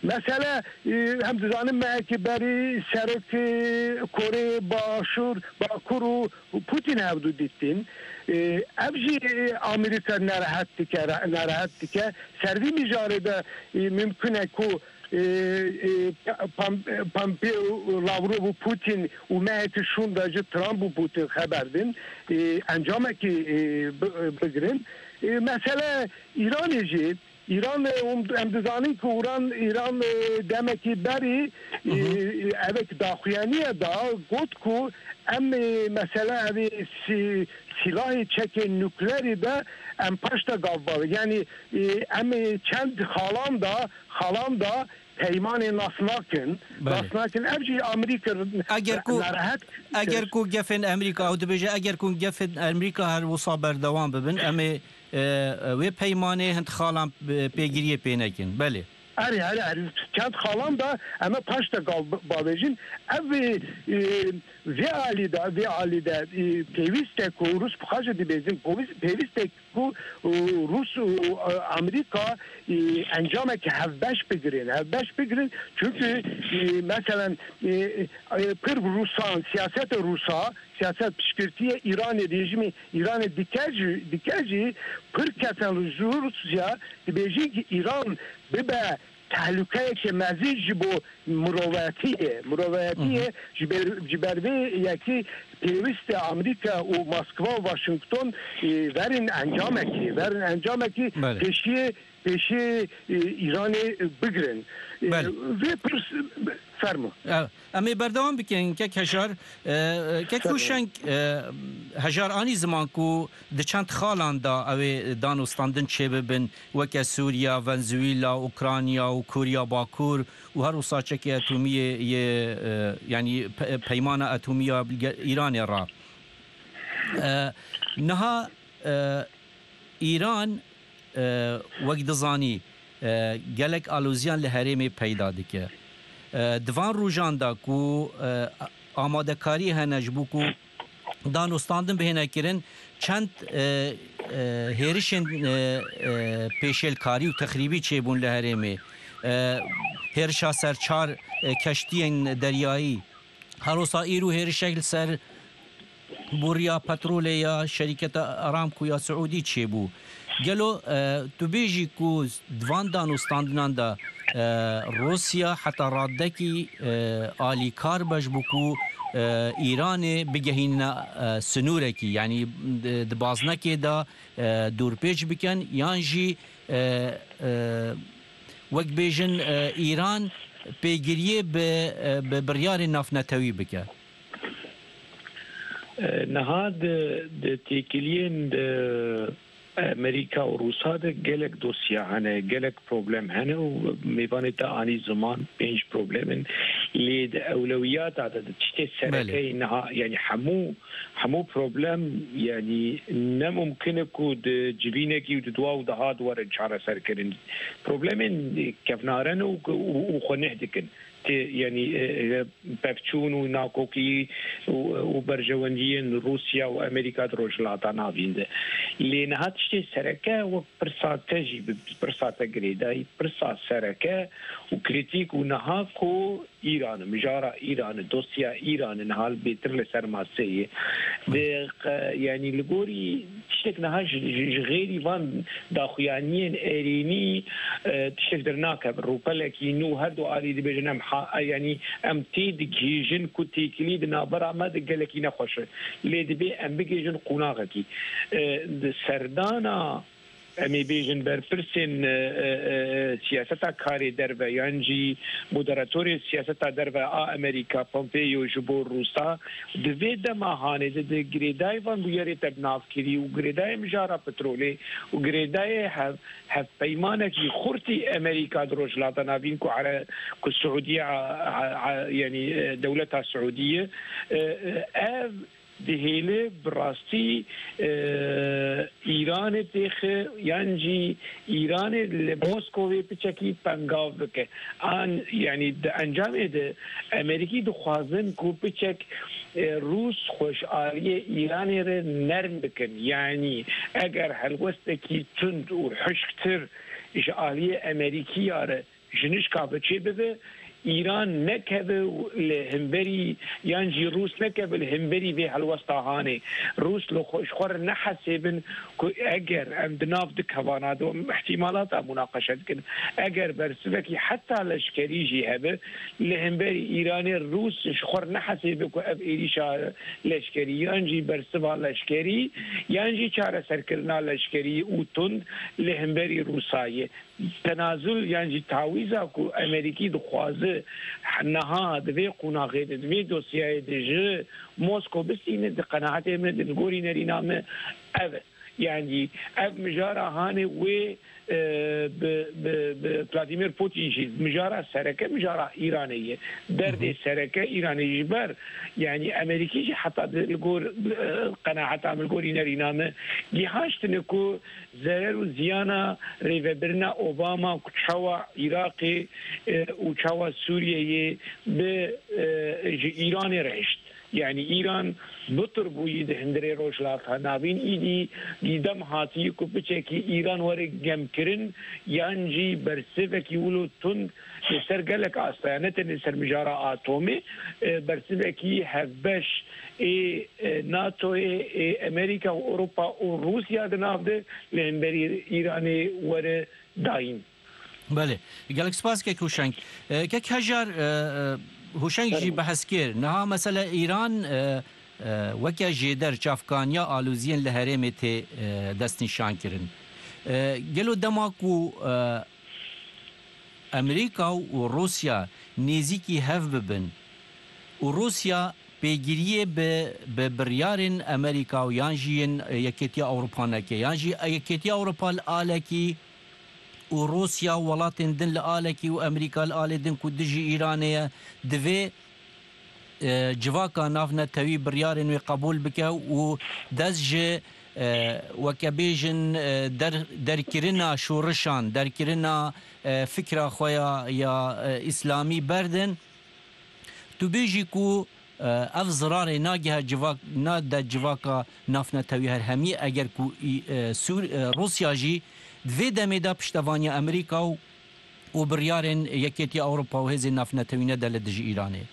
Mesele, ê, em dizanin mehekî berî serokê Koreyê Başûr, Bakur û Putin hevdu dîtin. Ê, ev jî, ê, Amerîka nerehet dike, nerehet dike. Ser vî mijarê de, ê, mimkun e ku e, e, Pam-, Pompeo, Lavrov û Putin û mehekî şûnda ji Trump û Putin xeber din, e, encamekî, e, bi-, bigirin. E, mesele Îranê jî, Îran, e, hûn, em dizanin ku Îran, Îran, e, demekî berî, e, Hı hı. Evek daxuyaniye da got ku em, e, mesele evê sî-, sîlahê çekên nuklerî de em paşta gav bavê. Yanî, e, em, e, çend xalan da, xalan da peymanê nas nakin. Belê. Nas nakin. Ev jî Amerîka Eger ku, nerehet eger kir. Ku gefên Amerîka, ew dibêje, eger ku gefên Amerîka her wisa berdewam bibin, em ê, e, wê peymanê hind xalan, e, pêgiriyê pê nekin. Belê. Erê, erê, erê. Çend xalan da em ê paşta gav bavêjin. Ev, e, e, vê alî de, vê alî de, e, pêwîst e ku Rûs bi xwe jî dibêjin, pêwîst, pêwîst e ku, û, Rûs û, e, Amerîka, e, encamekî hevbeş bigirin, hevbeş bigirin. Çunku, e, meselen, e, e, pir Rûsan, siyaseta Rûsa, siyaset piştgirtiyê Îranê, rejîmê Îranê dike jî, dike jî pir kesan ji Rûsya dibêjin ki Îran bibe tehlukeyeke mezin ji bo mirovetiyê. Mirovetiyê Hı hı. ji ber, ji ber vê yekî pêwîst e Amerîka û Moskva û Washington, e, verin encamekî, verin encamekî Belê. Pêşiyê, pêşiyê, e, Îranê bigirin. E, Belê. Vê pirs, fermo. E, em ê berdewam bikin, kek Hejar. E, kek Fermo. Huşeng, e, Hejar anî ziman ku di çend xalan da ew ê danûstandin çêbibin, weke Sûriya, Venezuela, Ukrayna û Koriya Bakur û her wisa çekê etomî yê, yê, e, yanî pe-, peymana etomî ya ge-, Îranê re. E, niha, e, Îran, e, wek dizanî, e, gelek aloziyan li herêmê peyda dike. E, di van rojan de ku, e, amadekarî hene ji bo ku danûstandin bihêne kirin, çend, e, e, hêrişên, e, e, pêşêlkarî û texrîbî çêbûn li herêmê. E, hêrişa ser çar, e, keştiyên deryayî. Her wisa îro hêrişek li ser boriya petrolê ya şerîketa Aramco ya Siûdî çêbû. Gelo, e, tu bêjî ku di van dan û standinan de, e, Rûsya heta radekî, e, alîkar be ji bo ku, e, Îranê bigehîne, e, sinûrekî, yanî di, di baznekê de, e, dûrpêç bikin, yan jî, e, e, wek bêjin, e, Îran pêgiriyê bi, e, bi biryarên navnetewî bike? E, niha di, di têkiliyên di Amerîka û Rûsa de gelek dosya hene, gelek problem hene û mêvanê te anî ziman pênc problem in. Lê di ewlewiyata de, di tiştê Belê. serekeyê niha, yanî hemû, hemû problem, yanî ne mumkin e ku di civînekî û di dua û diha di werin çareserkirin. Problemên kevnare ne û, û, û xwe neh dikin. Tê, yanî, e, e, pevçûn û nakokî û, û berjewendiyên Rûsya û Amerîka di Rojhilata Navîn de. Lê niha tiştê sereke wek pirsa te jî bi pirsa te girêdayî, pirsa sereke û krîtîk û niha ku Îran, mijara Îran, dosya Îran niha bêtir li ser maseyê. Di qe-, yanî li gorî tiştek niha ji, ji, ji xêrî van daxuyaniyên erênî, e, tiştek dernakeve. Rûpelekî nû her du alî dibêjin em ha-, yanî em tê digihîjin ku têkilî di navbera me de gelekî nexweş e. Lê dibê em bigihîjin qonaxekî. E, di serdana, em ê bêjin, berpirsên, e, e, e, siyaseta karê derve yan jî moderatorê siyaseta derve a Amerîka, Pompeo, ji bo Rûsa, di vê dema hanê de di girêdayê van bûyerê te bi nav kirî û girêdayê mijara petrolê û girêdayê hev-, hevpeymanekî xurtî Amerîka di Rojhilata Navîn ku ere-, ku Siûdiye, a, a, a, yanî, e, dewleta Siûdiye, e, e, ev dihêle bi rastî, e, Îranê têxe yan jî Îranê li Moskovê piçekî pengav bike. An, yanî di encamê de Amerîkî dixwazin ku piçek, e, Rûs xwe ji aliyê Îranê re nerm bikin. Yanî eger helwestekî tund û hişktir ji aliyê Amerîkiya re ji nişka ve çêbibe, Îran nekeve li hemberî, yan jî Rûs nekeve li hemberî vê helwesta hanê. Rûs li xwe, ji xwe re nehesêbin ku eger em di nav du kevana de, em îhtîmalata munaqeşe dikin, eger bersivekî heta leşkerî jî hebe, li hemberî Îranê Rûs ji xwe re nehesêbe ku ev êrîşa leşkerî, yan jî bersiva leşkerî, yan jî çareserkirina leşkerî û tund li hemberî Rûsa ye. Tenazul yan jî tawîza ku Amerîkî dixwaze niha di vê qonaxê de, di vê dosyayê de ji Moskow bistîne, di qenaetê min, di gorî nerîna min ev e. Yan jî ev mijara hanê wê, e, bi, bi, bi Vladimir Putin jî mijara sereke, mijara Îranê ye. Derdê sereke Îranê ji ber, yanî Amerîkî jî heta di, li gor, e, qenaeta min, li gorî nerîna min, gihaştine ku zerer û ziyana rêvebirina Obama ku çawa Iraqê, e, û çawa Sûriyeyê bi, e, ji Îranê re hişt. Yanî Îran bitir bûyî di hundirê Rojhilata Navîn, îdî dîdem hatî ku piçekî Îran were gemkirin yan jî bersivekî wilo tund li ser gelek astaya, ne tenê ser mijara atomê, e, bersivekî hevbeş ê, e, NATOyê, ê Amerîka û Ewropa û Rûsya di nav de li hemberî Îranê were dayîn. Belê. Gelek spas kek Huşeng. E, kek Hejar, e, e, Huşeng jî Fermo. behs kir. Niha mesela Îran, e, e, weke jêder çavkaniya aloziyên li herêmê tê, e, destnîşankirin. E, gelo dema ku, e, Amerîka û Rûsya nêzîkî hev bibin û Rûsya pêgiriyê bi, bi biryarên Amerîka û yan jî yên Yekêtiya Ewropa neke, yan jî Yekêtiya Ewropa li alekî û Rûsya û welatên din li alekî û Amerîka li alê din ku dijî Îranê ye, divê e, civaka navnetewî biryarên wê qebûl bike û dest ji, e, weke bêjin, e, der-, derkirina şorişan, derkirina, e, fikra xwe ya, ya, e, îslamî berdin. Tu bêjî ku, e, ev zirarê nagihe civak-, nade civaka navnetewî herhemî, eger ku î-, e, Sûr-, e, Rûsya jî di vê demê de piştevaniya Amerîka û û biryarên Yekêtiya Ewropa û Hêzên Navnetewî nede li dijî Îranê?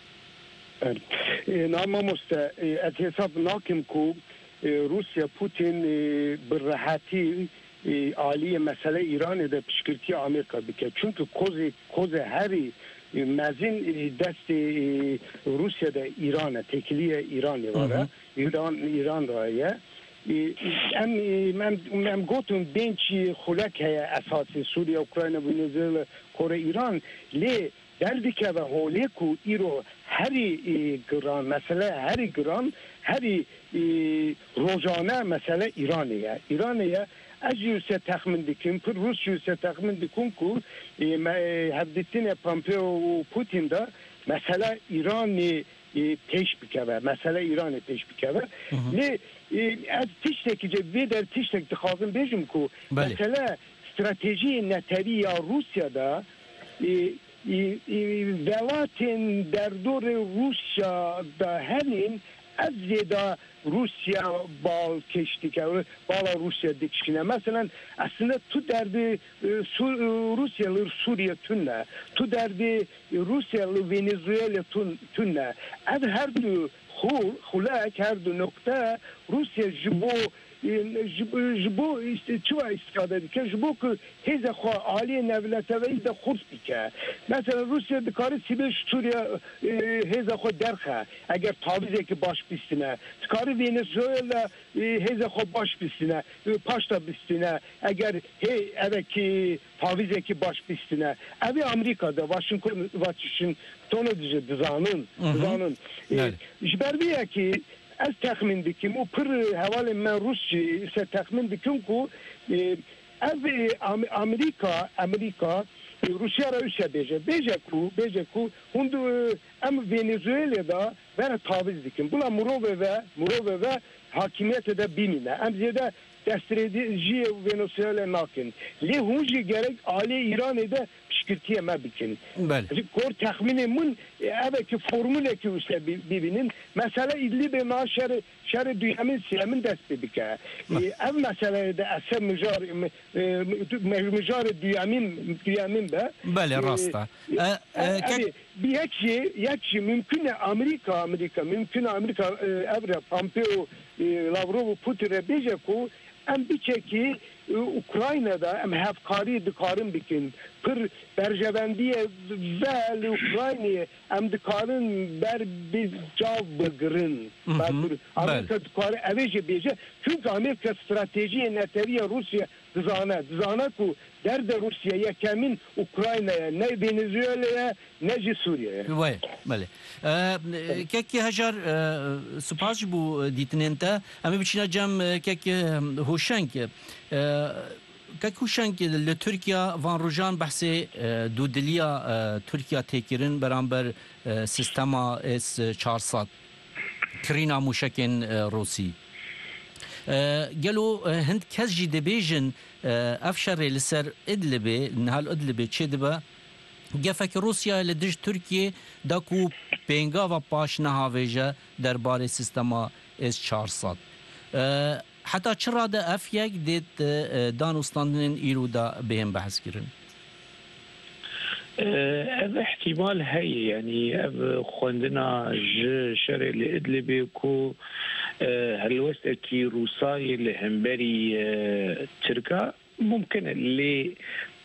E, na mamoste, e, ez hesab nakim ku, e, Rûsya Putin, e, bi rehetî e, aliyê mesele Îranê de piştgirtiya Amerîka bike. Çunku kozê, kozê herî, e, mezin, e, destê, e, Rûsya de Îran e, têkiliye Îranê Hı var e. hı. Îran, Îran ra ye. E, em, e, em, em gotin bênçî xulek heye esasê Sûriye, Ukrayna, Venezuela, Kore, Îran. Lê derdikeve holê ku îro herî, e, giran, mesele herî giran, herî, e, rojane mesele Îranê ye. Îranê ye. Ez jî wise texmin dikim, pir rûst jî wise texmin dikim ku, e, me, e, hevdîtinê Pompeo û Putin de mesele Îranê, e, pêş bikeve, mesele Îranê pêş bikeve. Hı hı. Lê, e, ez tiştekî, vê der tiştek dixwazim bêjim ku Belê. mesele stratejiyê netewî ya Rûsya de, e, e, e, welatên derdorê Rûsya de henên ev zêde Rûsya bal kêş dike, bala Rûsya dikişîne. Meselen, aslında tu derdê, e, Sur-, e, Rûsya li Sûriye tune, tu derdê Rûsya li Venezuela tun-, tune. Ev her du xul-, xulek, her du nokte Rûsya ji bo, e, ji, ji bo îst-, çi wa îstifade dike? Ji bo ku hêza xwe aliyê navneteweyî de xurt bike. Mesela Rûsya dikare sîbê ji Sûriye, e, hêza xwe derxe, eger tavîzekî baş bistine. Dikare Venezuela, e, hêza xwe baş bistine, e, paşta bistine, eger hê evekî tavîzekî baş bistine. Ev ê Amerîka de, Washington, Washingtonê de jî dizanin, Hı hı. dizanin. E, Belê. Ji ber vê yekê ez texmîn dikim û pir hevalên me rûs jî ise texmîn dikim ku, e, ev, e, Am-, Amerîka, Amerîka, e, Rûsya re wisa bêje. Bêje ku, bêje ku hûn du-, em Venezuelê de vere taviz dikin. Bila mirovê ve, mirovê ve hakimiyetê de bimîne. Em zêde destdirêjiyê Venezuelê nakin. Lê hûn jî gerek alê Îranê de piştgirtiyê me bikin. Belê. Ji gor texmînê min, e, ev e ki formulekî wise bi-, bibînin. Mesele Îdlibê na şerê, şerê duyemîn, sêyemîn dest pê bike. E, Beh. ev meseleyê de ese mijar, e, me-, me-, mijarê duyemîn, duyemîn be. Belê, E, rast e. e, E, e, e, kek- ev ê, bi yek jî, yek jî mümkün e Amerîka, Amerîka, mümkün e Amerîka, e, ev re Pompeo, e, Lavrov û Putin re bêje ku em biçekî, e, Ukrayna'da em hevkarî dikarin bikin. Pir berjevendiyê ve li Ukraynayê em dikarin ber bi cav bigirin. Mhm, Ber bir-, belê. Amerîka dikare evê jî bêje. Çünkü Amerîka stratejiyê netewî ya Rûsya dizane. Dizane ku derdê Rûsya yekemîn Ukrayna ye, ne Venezuela ye, ne jî Sûriye ye. Wê, belê. E, kekê Hejar, e, spas ji bo dîtinên te. Em ê biçîne cem, e, kekê, e, Hoşeng. E, kek Hoşeng, li Tirkiye van rojan behsê, e, dûdiliya, e, Tirkiye tê kirin beramber, e, sistema S çar sed, kirîna mûşekên, e, Rûsî. E, gelo, e, hind kes jî dibêjin, e, ev şerê li ser Idlibê, niha li Idlibê çêdibe, gefek Rûsyayê li dij Tirkiyê da ku pêngava paş nehavêje derbarê sistema S çar sed. E, heta çi rade ev yek dê di, e, danûstandinên îro de bihên behs kirin? E, ev îhtîmal heye, yanî ev xwendina ji şerê li Idlibê ku, e, helwestekî Rûsayê li hemberî, e, Tirka mumkin e, lê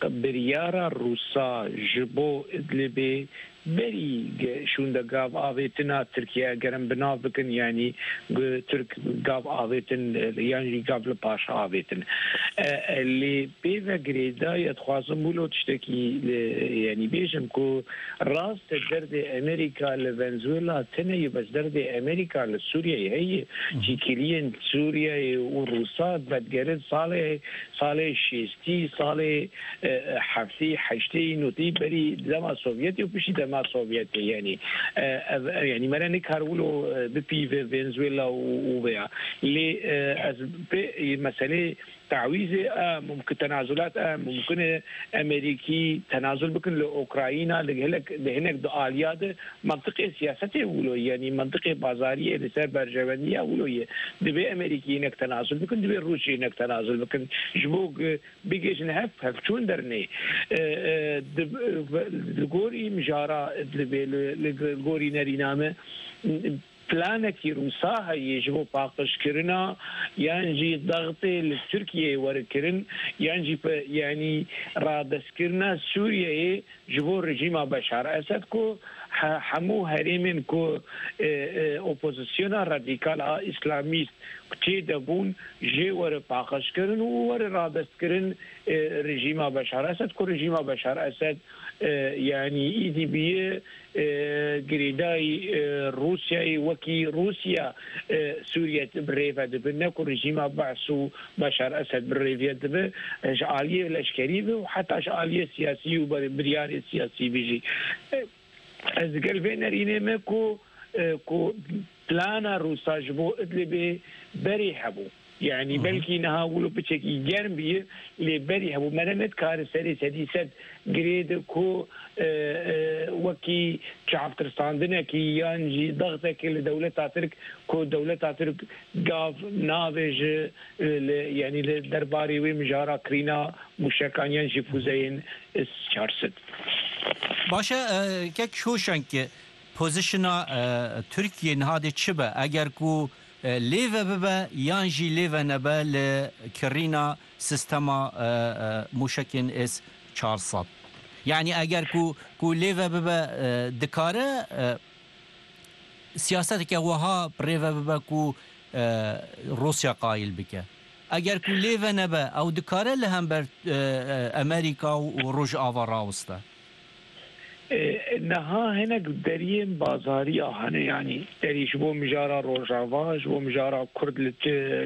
biryara Rûsa ji bo Idlibê berî ge-, şûnde gav avêtina Tirkiye, ger em bi nav bikin, yanî gu-, Tirk gav avêtin, e, yan jî gav li paş avêtin. E, e, lê pê ve girêdayî, ez dixwazim wilo tiştekî li, yanî bêjim ku rast e derdê Amerîka li Venezuela tune ye, bes derdê Amerîka li Sûriyeyê heye. Hı hı. Çîkiliyên Sûriyeyê û Rûsa vedigerin salê, salê şêstî, salê, e, e, heftî, heştê, notî berî dema Sovyetê û piştî dema Sovyetê, yanî, e, ev, e, yanî me re nikar wilo, e, bipîve Venezuela û, û veya. Lê, e, ez pê, e, meselê tawîzê, e, mumkin, tenazulat, e, mumkin e Amerîkî tenazul bikin li Ukrayna, li gelek, li hinek di aliya de mantiqê siyasetê wilo, yanî mantiqê bazariyê li ser berjevendiya wilo ye. Divê Amerîkî hinek tenazul bikin, divê Rûsya hinek tenazul bikin. Ji bo, e, bigihîjin hev, hevçûn dernê. E, e, di, li gorî mijara, li, li, li gorî nerîna me, planekî Rûsa heye ji bo paqijkirina yan jî dextê li Tirkiyeyê were kirin, yan jî pe-, yanî radestkirina Sûriyeyê ji bo rejîma Beşar Esed ku he-, hemû herêmên ku, e, e, opozisyona radîkal a îslamîst tê de bûn jê were paqijkirin û were radestkirin, e, rejîma Beşar Esed ku rejîma Beşar Esed, e, yanî îdî bûye, e, girêdayî, e, Rûsyayê wekî Rûsya, e, Sûriye bi rê ve dibe, ne ku rejîma Be'sû Beşar Esed bi rê ve dibe, e, ji aliyê leşkerî ve û heta ji aliyê siyasî û ber-, biryarê siyasî ve jî. E, ez digel vê nerînê me ku, e, ku plana Rûsa ji bo Idlibê berê hebû. Yanî Hı hı. belkî niha wilo piçekî germ bî, lê berî hebû. Me ne, nedikare serê sedî sed girê de ku, e, e, wekî çavtirsandinekî yan jî dextekê li dewleta Tirk, ku dewleta Tirk gav navêje, e, li, yanî li derbarê wê mijara kirîna mûşekan yan jî fûzeyên S çar sed. Baş e, e, kek Şoşenk, pozîsyona, e, Tirkiyê niha dê çi be? Eger ku, e, lê ve bibe yan jî lê ve nebe li kirîna sîstema, e, e, mûşekên S çar sed. Yanî eger ku, ku lê ve bibe, e, dikare, e, siyaseteke wiha bi rê ve bibe ku, e, Rûsya qayîl bike. Eger ku lê ve nebe, ew dikare li hember, e, e, Amerîka û Rojava rawiste. E, niha hinek deriyên bazarî ya hene, yanî derî ji bo mijara Rojava, ji bo mijara Kurd li,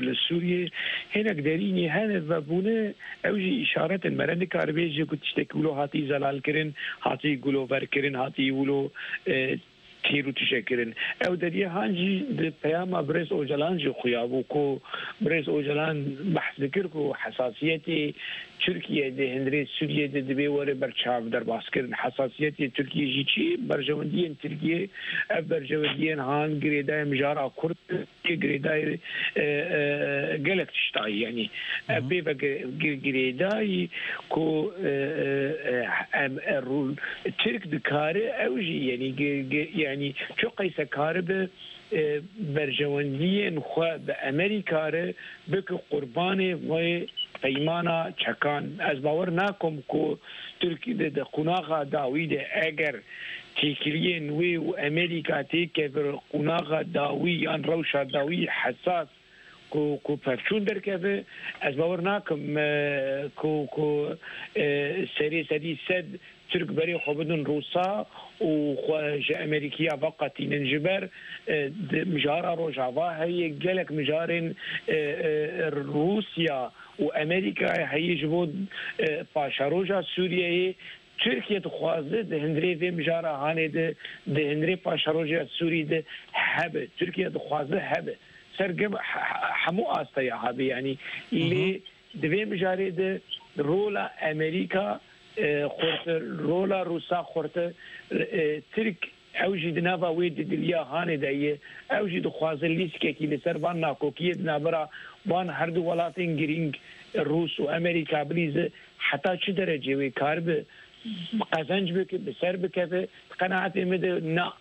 li Sûriyê, hinek derînî hene vebûne, ew jî îşaret in. Me re nikare bêje ku tiştekî wilo hatî zelalkirin, hatî guloverkirin, hatî wilo, e, têr û tije kirin. Ew deriyê han jî di peyama birêz Ocalan jî xuya bû ku birêz Ocalan behs dikir ku hesasiyetê Tirkiye di hundirê Sûriye de divê were berçav derbas kirin. Hesasiyetê Tirkiye jî çi? Berjewendiyên Tirkiye, ev berjewendiyên han girêdayê mijara Kurd, girêdayê, e, e, gelek tiştayî, yanî ev Hı hı. pê ve gi-, gi-, girêdayî ku, e, e, e, em, e, rû-, Tirk dikare ew jî, yanî gi-, gi-, yanî çi qeyse karibe, e, berjewendiyên xwe bi Amerîka re bike qurbanê vê peymana çekan. Ez bawer nakim ku Tirk di, di qonaxa dawî de eger têkiliyên wê û Amerîka têkeve qonaxa dawî yan rewşa dawî hesas ku, ku pevçûn derkeve, ez bawer nakim, e, ku, ku, e, serê sedî sed Tirk berê xwe bidin Rûsa û xwe ji Amerîkiya veqetînin. Ji ber, e, di mijara Rojava heye, gelek mijarên, e, e, Rûsya û Amerîkayê heye ji bo, e, paşeroja Sûriyeyê. Tirkiye dixwaze di hundirê vê mijara hanê de, di hundirê paşeroja Sûrî de hebe. Tirkiye dixwaze hebe. Ser gem-, he-, he-, hemû asteya hebe, yanî Hı hı. lê di vê mijarê de rola Amerîka, e, xurtir, rola Rûsa xurtir, e, Tirk ew jî di nava wê didiliya hanê de ye. Ew jî dixwaze lîstikekî li ser van nakokiyê di navbera van her du welatên girîng, Rûs û Amerîka, bilîze. Heta çi derecê wê karibe qezenc bike, bi ser bikeve? Di qenaetê min de na.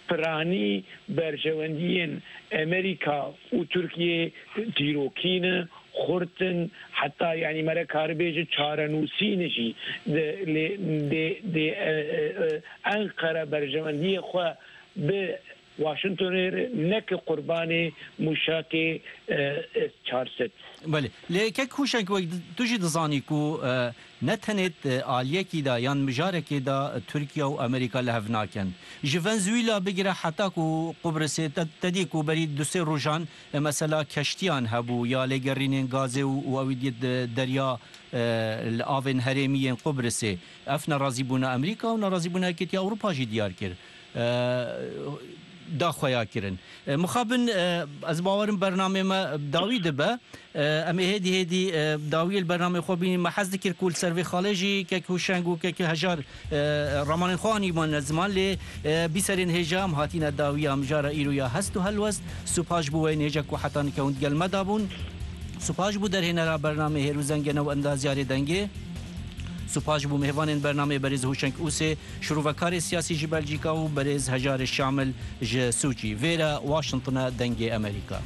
Piranî berjewendiyên Amerîka û Tirkiye dîrokî ne, xurt in, heta, yanî, me re karibêje çarenûsî ne jî. Di, lê, dê, dê, e, e, e, Enqere berjewendiyê xwe bi Washingtonê re neke qurbanê mûşakê, e, S çar sed. Belê. Lê kek Hûşeng, wek di-, tu jî dizanî ku, e, ne tenê, e, aliyekî de yan mijarekê de, e, Tirkiye û Amerîka li hev nakin. Ji Venezuela bigire heta ku Qubrisê te, te dî ku berî du sê rojan, e, mesela keştiyan hebû ya lêgerînên gazê û, û ew dî di derya, e, li avên herêmî yên Qubrisê. Ev nerazîbûna Amerîka û nerazîbûna Yekîtiya Ewropa jî diyar kir. E, da xwe ya kirin. E, mixabin, e, ez bawerim bernamê me dawî dibe. E, em ê hêdî hêdî, e, dawiyê li bernamê xwe bînin. Me hez dikir ku li ser vê xalê jî kek Hûşeng û kek Hejar, e, ramanên xwe anîbûne ziman, lê, e, bîserên hêja em hatîne dawiya mijara îro ya hest û helwest. Spas bo wê hêja ku heta nika hûn digel me de bûn. Spas bo derhênera bernamê Hêr û Zengene û endazyarê dengê. Spas ji bo mêvanên bernameyê berêz Hoşeng Ûsê, şirovekarê siyasî ji Belcîka û berêz Hejarê Şamil ji Sûçî. Vêre Washington e, Dengê Amerîka.